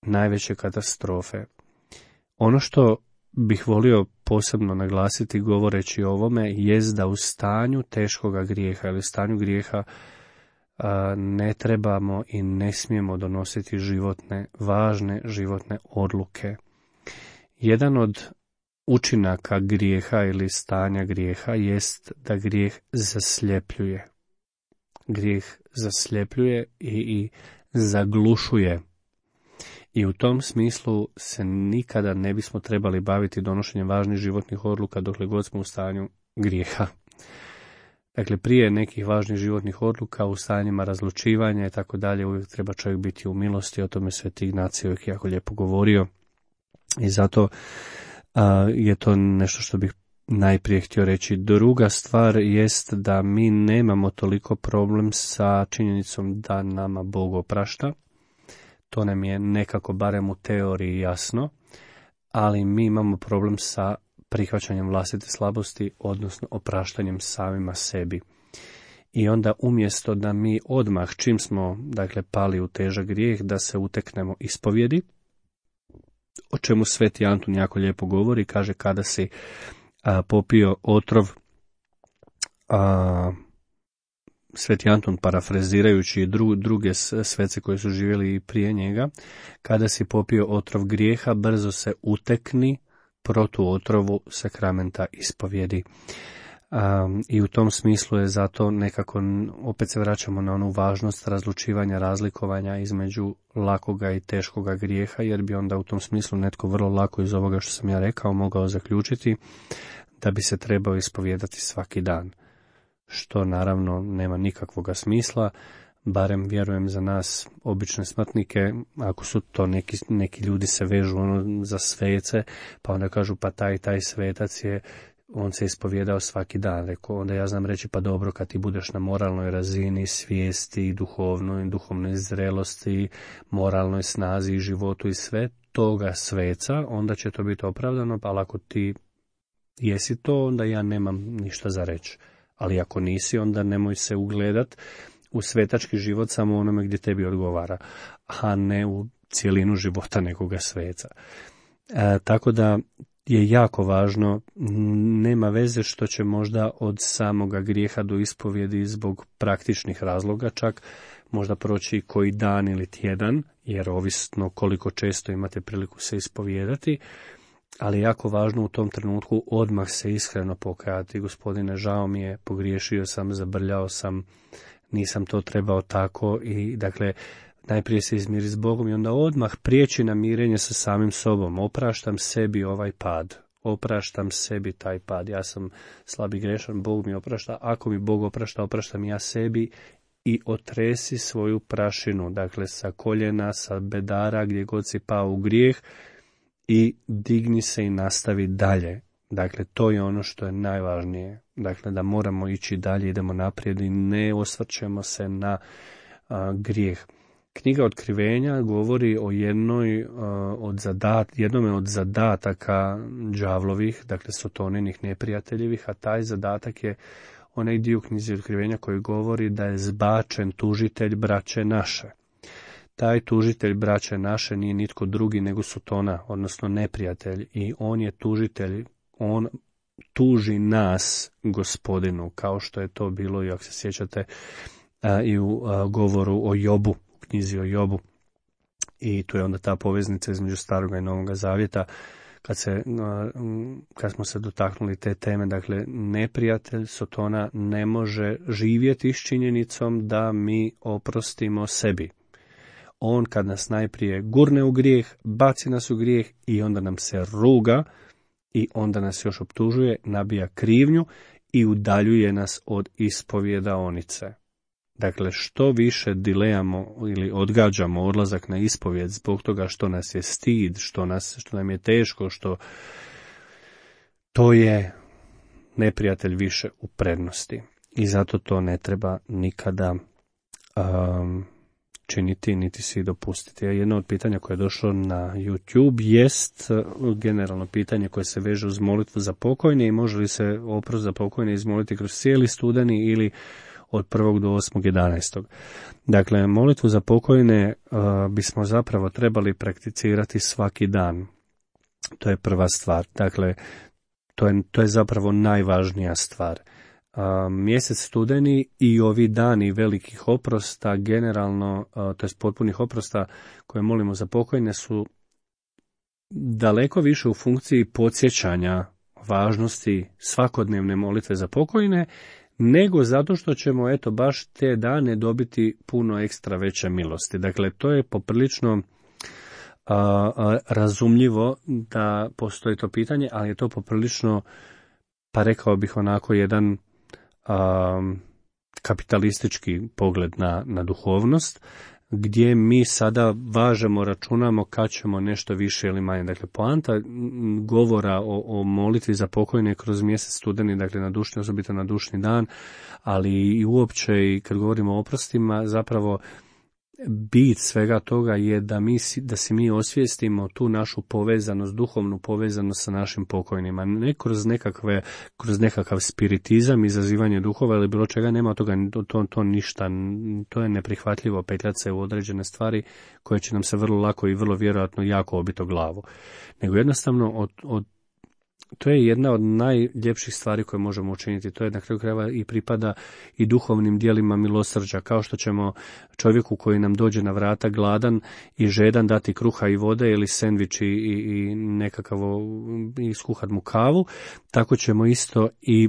najveće katastrofe. Ono što bih volio posebno naglasiti govoreći o ovome jest da u stanju teškoga grijeha ili stanju grijeha a, ne trebamo i ne smijemo donositi životne, važne životne odluke. Jedan od učinaka grijeha ili stanja grijeha jest da grijeh zasljepljuje. Grijeh zasljepljuje i, i zaglušuje. I u tom smislu se nikada ne bismo trebali baviti donošenjem važnih životnih odluka dokle god smo u stanju grijeha. Dakle, prije nekih važnih životnih odluka u stanjima razlučivanja i tako dalje, uvijek treba čovjek biti u milosti, o tome Sveti Ignacij uvijek jako lijepo govorio. I zato a, je to nešto što bih najprije htio reći. Druga stvar jest da mi nemamo toliko problem sa činjenicom da nama Bog oprašta. To nam je nekako barem u teoriji jasno, ali mi imamo problem sa prihvaćanjem vlastite slabosti, odnosno opraštanjem samima sebi. I onda umjesto da mi odmah, čim smo dakle pali u težak grijeh, da se uteknemo ispovjedi, o čemu Sveti Antun jako lijepo govori, kaže kada si a, popio otrov, a, Sveti Antun parafrazirajući dru, druge svece koje su živjeli prije njega, kada si popio otrov grijeha, brzo se utekni protu otrovu sakramenta ispovjedi. Um, I u tom smislu je zato nekako, opet se vraćamo na onu važnost razlučivanja, razlikovanja između lakoga i teškoga grijeha, jer bi onda u tom smislu netko vrlo lako iz ovoga što sam ja rekao mogao zaključiti da bi se trebao ispovijedati svaki dan. Što naravno nema nikakvoga smisla, barem vjerujem za nas obične smrtnike, ako su to neki, neki ljudi se vežu ono za svece, pa onda kažu pa taj taj svetac je, on se ispovjedao svaki dan. Rekao, onda ja znam reći pa dobro, kad ti budeš na moralnoj razini, svijesti, duhovnoj, duhovnoj zrelosti, moralnoj snazi i životu i sve toga sveca, onda će to biti opravdano, pa ako ti jesi to, onda ja nemam ništa za reći. Ali ako nisi, onda nemoj se ugledat u svetački život samo onome gdje tebi odgovara, a ne u cijelinu života nekoga sveca. E, tako da je jako važno, nema veze što će možda od samoga grijeha do ispovjedi zbog praktičnih razloga čak možda proći koji dan ili tjedan, jer ovisno koliko često imate priliku se ispovijedati, ali je jako važno u tom trenutku odmah se iskreno pokajati. Gospodine, žao mi je, pogriješio sam, zabrljao sam, nisam to trebao tako, i dakle najprije se izmiri s Bogom i onda odmah prijeći na mirenje sa samim sobom. Opraštam sebi ovaj pad, opraštam sebi taj pad, ja sam slab i grešan, Bog mi oprašta, ako mi Bog oprašta, opraštam ja sebi, i otresi svoju prašinu, dakle sa koljena, sa bedara, gdje god si pao u grijeh, i digni se i nastavi dalje. Dakle, to je ono što je najvažnije. Dakle, da moramo ići dalje, idemo naprijed i ne osvrćemo se na a, grijeh. Knjiga Otkrivenja govori o jednoj a, od zadat, jednome od zadataka đavlovih, dakle Sotoninih neprijateljevih, a taj zadatak je onaj dio knjizi Otkrivenja koji govori da je zbačen tužitelj braće naše. Taj tužitelj braće naše nije nitko drugi nego Sotona, odnosno neprijatelj, i on je tužitelj, on tuži nas Gospodinu, kao što je to bilo, i ako se sjećate, a, i u a, govoru o Jobu, u knjizi o Jobu. I tu je onda ta poveznica između Staroga i Novoga Zavjeta, kad, se, a, kad smo se dotaknuli te teme. Dakle, neprijatelj Sotona ne može živjeti s činjenicom da mi oprostimo sebi. On kad nas najprije gurne u grijeh, baci nas u grijeh i onda nam se ruga i onda nas još optužuje, nabija krivnju i udaljuje nas od ispovjedaonice. Dakle, što više dilejamo ili odgađamo odlazak na ispovjed zbog toga što nas je stid, što, nas, što nam je teško, što to je neprijatelj više u prednosti. I zato to ne treba nikada um, činiti, niti si dopustiti. Jedno od pitanja koje je došlo na YouTube jest generalno pitanje koje se veže uz molitvu za pokojne i može li se oprost za pokojne izmoliti kroz cijeli studeni ili od prvog do osmog jedanaestog. Dakle, molitvu za pokojne uh, bismo zapravo trebali prakticirati svaki dan. To je prva stvar. Dakle, to je, to je zapravo najvažnija stvar. Uh, mjesec studeni i ovi dani velikih oprosta, generalno, uh, to je potpunih oprosta koje molimo za pokojne, su daleko više u funkciji podsjećanja važnosti svakodnevne molitve za pokojne, nego zato što ćemo eto baš te dane dobiti puno ekstra veće milosti. Dakle, to je poprilično a, a, razumljivo da postoji to pitanje, ali je to poprilično, pa rekao bih onako, jedan a, kapitalistički pogled na, na duhovnost, gdje mi sada važemo, računamo kad ćemo nešto više ili manje. Dakle, poanta govora o, o molitvi za pokojne kroz mjesec studeni, dakle na dušni, osobito na dušni dan, ali i uopće i kad govorimo o oprostima, zapravo bit svega toga je da, mi, da si mi osvijestimo tu našu povezanost, duhovnu povezanost sa našim pokojnima. Ne kroz, nekakve, kroz nekakav spiritizam, izazivanje duhova ili bilo čega, nema od toga, to, to ništa, to je neprihvatljivo petljati se u određene stvari koje će nam se vrlo lako i vrlo vjerojatno jako obiti o glavu. Nego jednostavno od, od to je jedna od najljepših stvari koje možemo učiniti. To je na kraju krajeva i pripada i duhovnim dijelima milosrđa. Kao što ćemo čovjeku koji nam dođe na vrata gladan i žedan dati kruha i vode ili sendvič i, i nekakav i skuhat mu kavu, tako ćemo isto i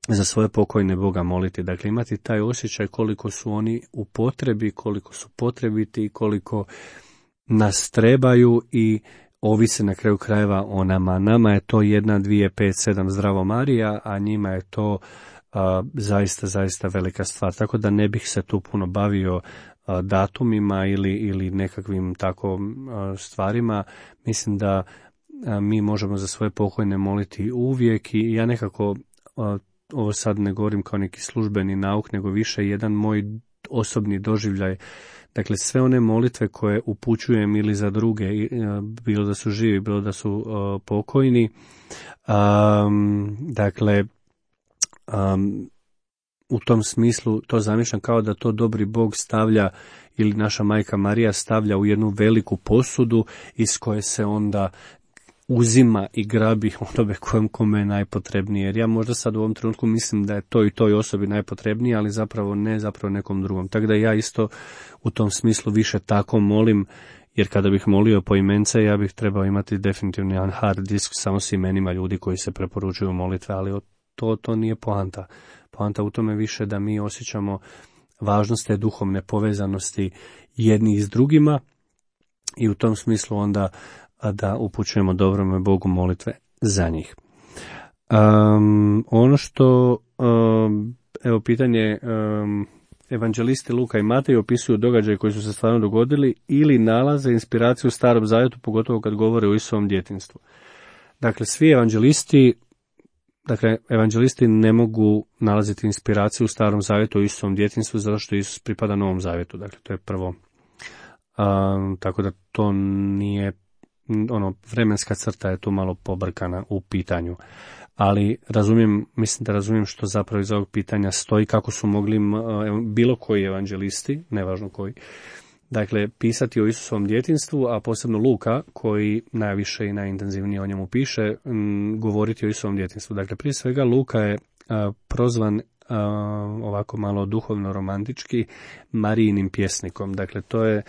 za svoje pokojne Boga moliti. Dakle, imati taj osjećaj koliko su oni u potrebi, koliko su potrebiti, koliko nas trebaju i ovise na kraju krajeva o nama. Nama je to jedna, dvije, pet, sedam zdravo Marija, a njima je to a, zaista, zaista velika stvar. Tako da ne bih se tu puno bavio a, datumima ili, ili nekakvim tako a, stvarima. Mislim da a, mi možemo za svoje pokojne moliti uvijek i ja nekako, a, ovo sad ne govorim kao neki službeni nauk, nego više jedan moj osobni doživljaj. Dakle, sve one molitve koje upućujem ili za druge, bilo da su živi, bilo da su uh, pokojni, um, dakle, um, u tom smislu to zamišljam kao da to dobri Bog stavlja ili naša majka Marija stavlja u jednu veliku posudu iz koje se onda uzima i grabi onome kojem kome je najpotrebnije. Jer ja možda sad u ovom trenutku mislim da je to i toj osobi najpotrebnije, ali zapravo ne, zapravo nekom drugom. Tako da ja isto u tom smislu više tako molim, jer kada bih molio po imence, ja bih trebao imati definitivno jedan hard disk samo s imenima ljudi koji se preporučuju molitve, ali to, to nije poanta. Poanta u tome više da mi osjećamo važnost te duhovne povezanosti jednih s drugima i u tom smislu onda a da upućujemo dobrome Bogu molitve za njih. Um, ono što, um, evo pitanje, um, evanđelisti Luka i Matej opisuju događaje koji su se stvarno dogodili ili nalaze inspiraciju u Starom Zavjetu, pogotovo kad govore o Isusovom djetinjstvu. Dakle, svi evanđelisti, dakle, evanđelisti ne mogu nalaziti inspiraciju u Starom Zavjetu o Isusovom djetinjstvu, zato što Isus pripada Novom Zavjetu. Dakle, to je prvo. Um, tako da to nije ono, vremenska crta je tu malo pobrkana u pitanju. Ali razumijem, mislim da razumijem što zapravo iz ovog pitanja stoji, kako su mogli bilo koji evanđelisti, nevažno koji, dakle, pisati o Isusovom djetinjstvu, a posebno Luka, koji najviše i najintenzivnije o njemu piše, m, govoriti o Isusovom djetinjstvu. Dakle, prije svega Luka je a, prozvan a, ovako malo duhovno romantički Marijinim pjesnikom. Dakle, to je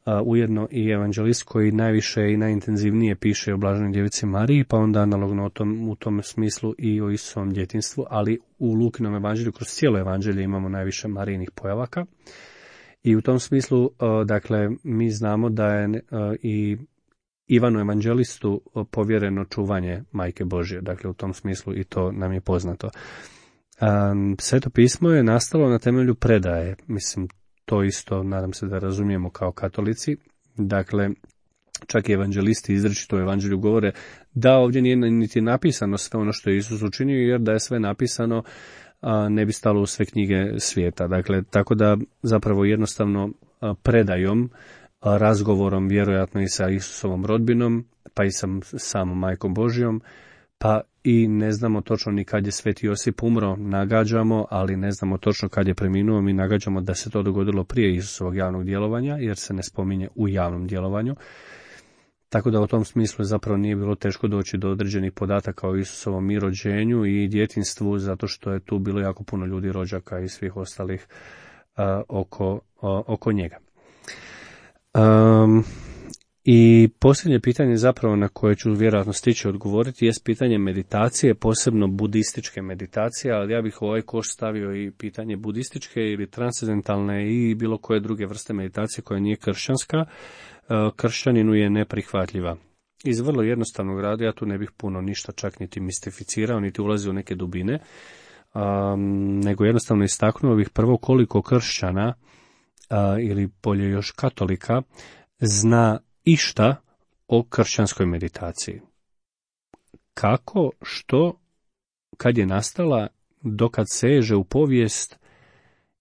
Uh, ujedno i evanđelist koji najviše i najintenzivnije piše o Blaženoj djevici Mariji, pa onda analogno o tom, u tom smislu i o Isusovom djetinjstvu, ali u Lukinom evanđelju kroz cijelo evanđelje imamo najviše Marijinih pojavaka. I u tom smislu, uh, dakle, mi znamo da je uh, i Ivanu evanđelistu povjereno čuvanje Majke Božje, dakle u tom smislu i to nam je poznato. Um, Sveto pismo je nastalo na temelju predaje, mislim, to isto, nadam se da razumijemo kao katolici. Dakle, čak i evanđelisti izričito u evanđelju govore da ovdje nije niti napisano sve ono što je Isus učinio, jer da je sve napisano a, ne bi stalo u sve knjige svijeta. Dakle, tako da zapravo jednostavno a, predajom, a, razgovorom vjerojatno i sa Isusovom rodbinom, pa i sa samom Majkom Božjom, pa i ne znamo točno ni kad je Sveti Josip umro, nagađamo, ali ne znamo točno kad je preminuo, mi nagađamo da se to dogodilo prije Isusovog javnog djelovanja, jer se ne spominje u javnom djelovanju. Tako da u tom smislu zapravo nije bilo teško doći do određenih podataka o Isusovom i rođenju i djetinjstvu, zato što je tu bilo jako puno ljudi, rođaka i svih ostalih uh, oko, uh, oko njega. Um, I posljednje pitanje zapravo na koje ću vjerojatno stići odgovoriti jest pitanje meditacije, posebno budističke meditacije, ali ja bih u ovaj koš stavio i pitanje budističke ili transcendentalne i bilo koje druge vrste meditacije koja nije kršćanska, kršćaninu je neprihvatljiva. Iz vrlo jednostavnog rada, ja tu ne bih puno ništa čak niti mistificirao, niti ulazio u neke dubine, um, nego jednostavno istaknuo bih prvo koliko kršćana, uh, ili bolje još katolika, zna išta o kršćanskoj meditaciji. Kako, što, kad je nastala, dokad seže u povijest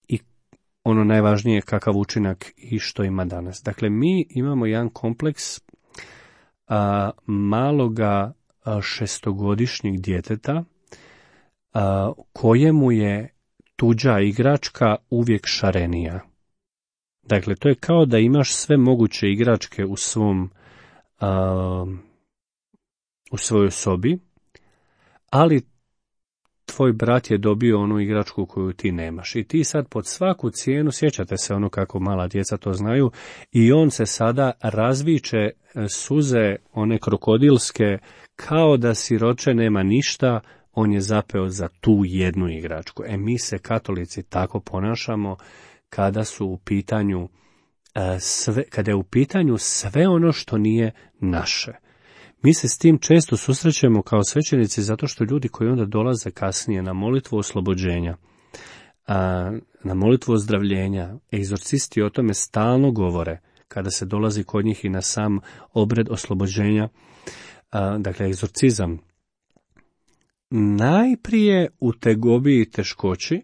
i ono najvažnije kakav učinak i što ima danas. Dakle, mi imamo jedan kompleks a, maloga a, šestogodišnjeg djeteta a, kojemu je tuđa igračka uvijek šarenija. Dakle, to je kao da imaš sve moguće igračke u svom a, u svojoj sobi, ali tvoj brat je dobio onu igračku koju ti nemaš. I ti sad pod svaku cijenu, sjećate se ono kako mala djeca to znaju, i on se sada razviče suze one krokodilske, kao da siroče nema ništa, on je zapeo za tu jednu igračku. E mi se katolici tako ponašamo kada su u pitanju sve, kada je u pitanju sve ono što nije naše. Mi se s tim često susrećemo kao svećenici zato što ljudi koji onda dolaze kasnije na molitvu oslobođenja, a, na molitvu ozdravljenja, egzorcisti o tome stalno govore kada se dolazi kod njih i na sam obred oslobođenja, a, dakle egzorcizam. Najprije u tegobi i teškoći,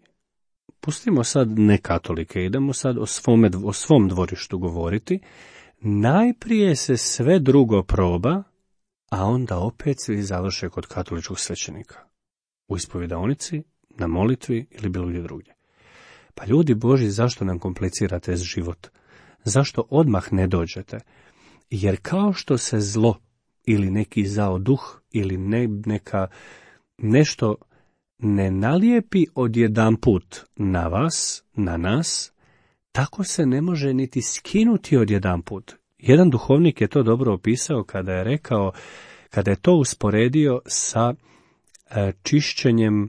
pustimo sad ne katolike, idemo sad o, svome, o svom dvorištu govoriti, najprije se sve drugo proba, a onda opet svi završe kod katoličkog svećenika. U ispovjedaonici, na molitvi ili bilo gdje drugdje. Pa ljudi Božji, zašto nam komplicirate život? Zašto odmah ne dođete? Jer kao što se zlo ili neki zao duh ili ne, neka nešto ne nalijepi odjedanput na vas, na nas, tako se ne može niti skinuti odjedanput. Jedan duhovnik je to dobro opisao kada je rekao, kada je to usporedio sa e, čišćenjem e,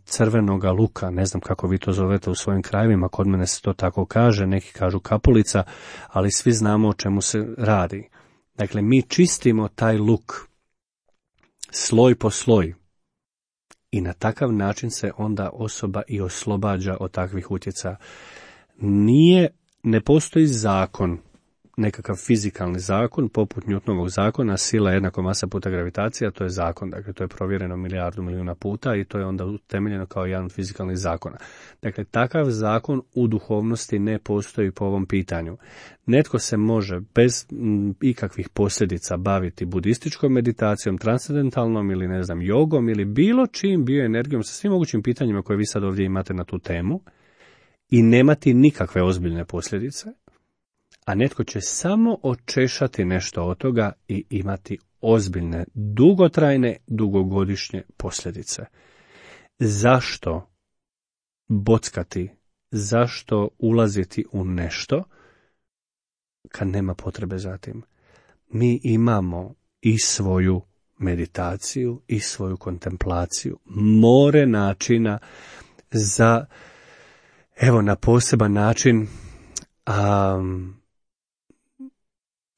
crvenoga luka, ne znam kako vi to zovete u svojim krajevima, kod mene se to tako kaže, neki kažu kapulica, ali svi znamo o čemu se radi. Dakle, mi čistimo taj luk sloj po sloj i na takav način se onda osoba i oslobađa od takvih utjecaja. Nije, ne postoji zakon, nekakav fizikalni zakon, poput Newtonovog zakona, sila jednako masa puta gravitacija, to je zakon, dakle to je provjereno milijardu milijuna puta i to je onda utemeljeno kao jedan od fizikalnih zakona. Dakle, takav zakon u duhovnosti ne postoji po ovom pitanju. Netko se može bez m, ikakvih posljedica baviti budističkom meditacijom, transcendentalnom ili ne znam, jogom ili bilo čim bioenergijom sa svim mogućim pitanjima koje vi sad ovdje imate na tu temu i nemati nikakve ozbiljne posljedice, a netko će samo očešati nešto od toga i imati ozbiljne, dugotrajne, dugogodišnje posljedice. Zašto bockati, zašto ulaziti u nešto kad nema potrebe za tim? Mi imamo i svoju meditaciju i svoju kontemplaciju, more načina za, evo, na poseban način um,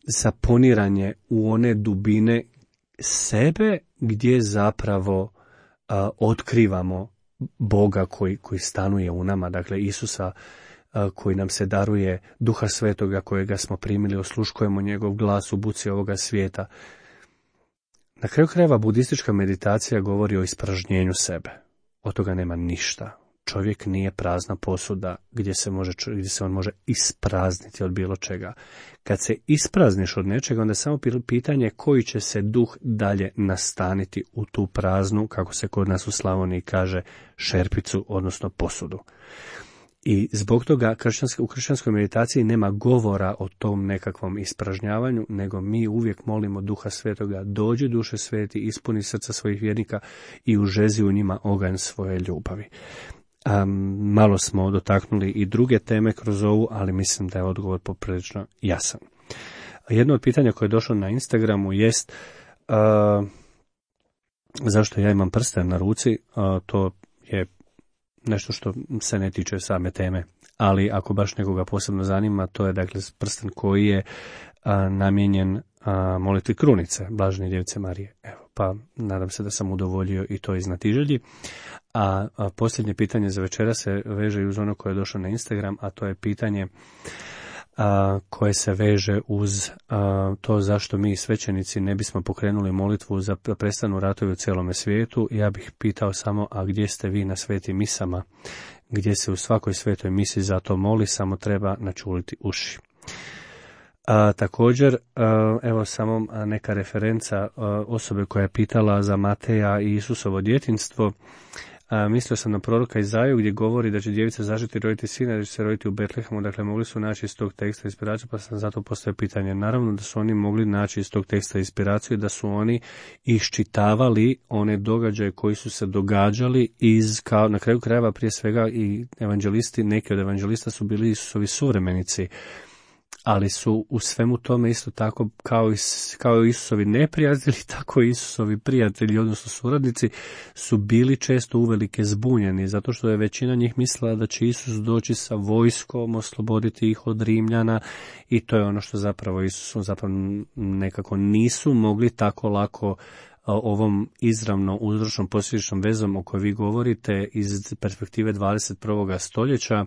za poniranje u one dubine sebe gdje zapravo a, otkrivamo Boga koji, koji stanuje u nama, dakle Isusa a, koji nam se daruje, Duha Svetoga kojega smo primili, osluškujemo njegov glas u buci ovoga svijeta. Na kraju krajeva budistička meditacija govori o ispražnjenju sebe. Od toga nema ništa. Čovjek nije prazna posuda gdje se, može, gdje se on može isprazniti od bilo čega. Kad se isprazniš od nečega, onda je samo pitanje koji će se duh dalje nastaniti u tu praznu, kako se kod nas u Slavoniji kaže, šerpicu, odnosno posudu. I zbog toga u kršćanskoj meditaciji nema govora o tom nekakvom ispražnjavanju, nego mi uvijek molimo Duha Svetoga, dođi Duše Sveti, ispuni srca svojih vjernika i užezi u njima oganj svoje ljubavi. Um, malo smo dotaknuli i druge teme kroz ovu, ali mislim da je odgovor poprilično jasan. Jedno od pitanja koje je došlo na Instagramu jest uh, zašto ja imam prsten na ruci. Uh, to je nešto što se ne tiče same teme, ali ako baš nekoga posebno zanima, to je dakle prsten koji je a, namijenjen a, molitvi krunice Blažene Djevice Marije. Evo, pa nadam se da sam udovoljio i to iz znatiželji. A, a posljednje pitanje za večera se veže i uz ono koje je došlo na Instagram, a to je pitanje a, koje se veže uz a, to zašto mi svećenici ne bismo pokrenuli molitvu za prestanu ratovi u cijelome svijetu. Ja bih pitao samo, a gdje ste vi na svetim misama, gdje se u svakoj svetoj misi za to moli, samo treba načuliti uši. A, također, a, evo samo neka referenca a, osobe koja je pitala za Mateja i Isusovo djetinjstvo. A, mislio sam na proroka Izaju gdje govori da će djevica zažeti roditi sina, da će se roditi u Betlehemu, dakle mogli su naći iz tog teksta inspiraciju, pa sam zato postavio pitanje. Naravno da su oni mogli naći iz tog teksta inspiraciju, da su oni iščitavali one događaje koji su se događali iz, kao na kraju krajeva prije svega i evanđelisti, neki od evanđelista su bili Isusovi suvremenici, ali su u svemu tome isto tako kao i, kao i Isusovi neprijatelji, tako i Isusovi prijatelji, odnosno suradnici, su bili često uvelike zbunjeni, zato što je većina njih mislila da će Isus doći sa vojskom, osloboditi ih od Rimljana, i to je ono što zapravo Isusu zapravo nekako nisu mogli tako lako ovom izravno uzročnom posljedičnom vezom o kojoj vi govorite iz perspektive dvadeset prvog stoljeća,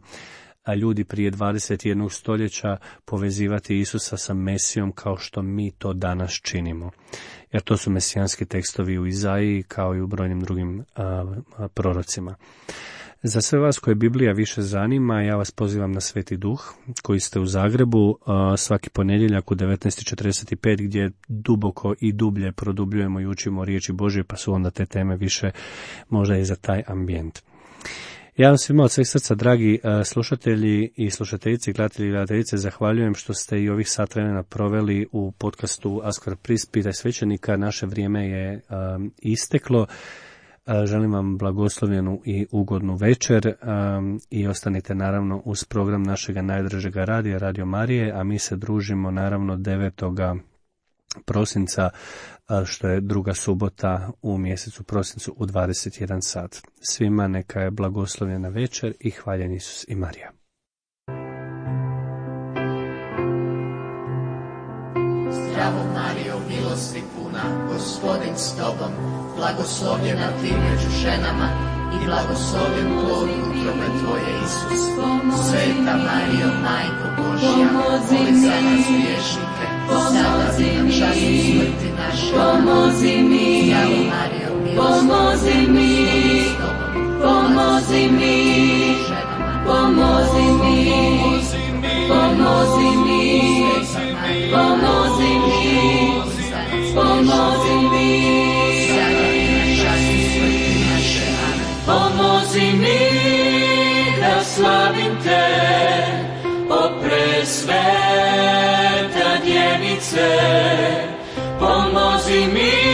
a ljudi prije dvadeset jednog stoljeća povezivati Isusa sa Mesijom kao što mi to danas činimo. Jer to su mesijanski tekstovi u Izaiji kao i u brojnim drugim a, a, prorocima. Za sve vas koje Biblija više zanima, ja vas pozivam na Sveti Duh koji ste u Zagrebu a, svaki ponedjeljak u devetnaest i četrdeset pet gdje duboko i dublje produbljujemo i učimo riječi Božje, pa su onda te teme više možda i za taj ambijent. Ja vam svima od sveg srca, dragi uh, slušatelji i slušateljice, gledatelji i gledateljice, zahvaljujem što ste i ovih sat vremena proveli u podcastu Ask for Priest, Pitaj svećenika. Naše vrijeme je um, isteklo. Uh, želim vam blagoslovljenu i ugodnu večer um, i ostanite naravno uz program našega najdražega radija, Radio Marije, a mi se družimo naravno devetoga prosinca, što je druga subota u mjesecu prosincu u dvadeset jedan sat. Svima neka je blagoslovljena večer i hvaljen Isus i Marija. Zdravo Marijo, milosti puna, Gospodin s tobom, blagoslovljena ti među ženama i blagoslovljen plod utrobe tvoje, Isus. Sveta Marijo, Majko Božja, moli za nas griješnike, sada i na času smrti naše. Pomozi mi, Zdravo Marijo, pomozi mi, pomozi mi, pomozi mi, pomozi mi, pomozi mi, pomozi mi, sada i na času smrti naše. Amen. pomozi mi da slavim te, o presveta djevice, pomozi mi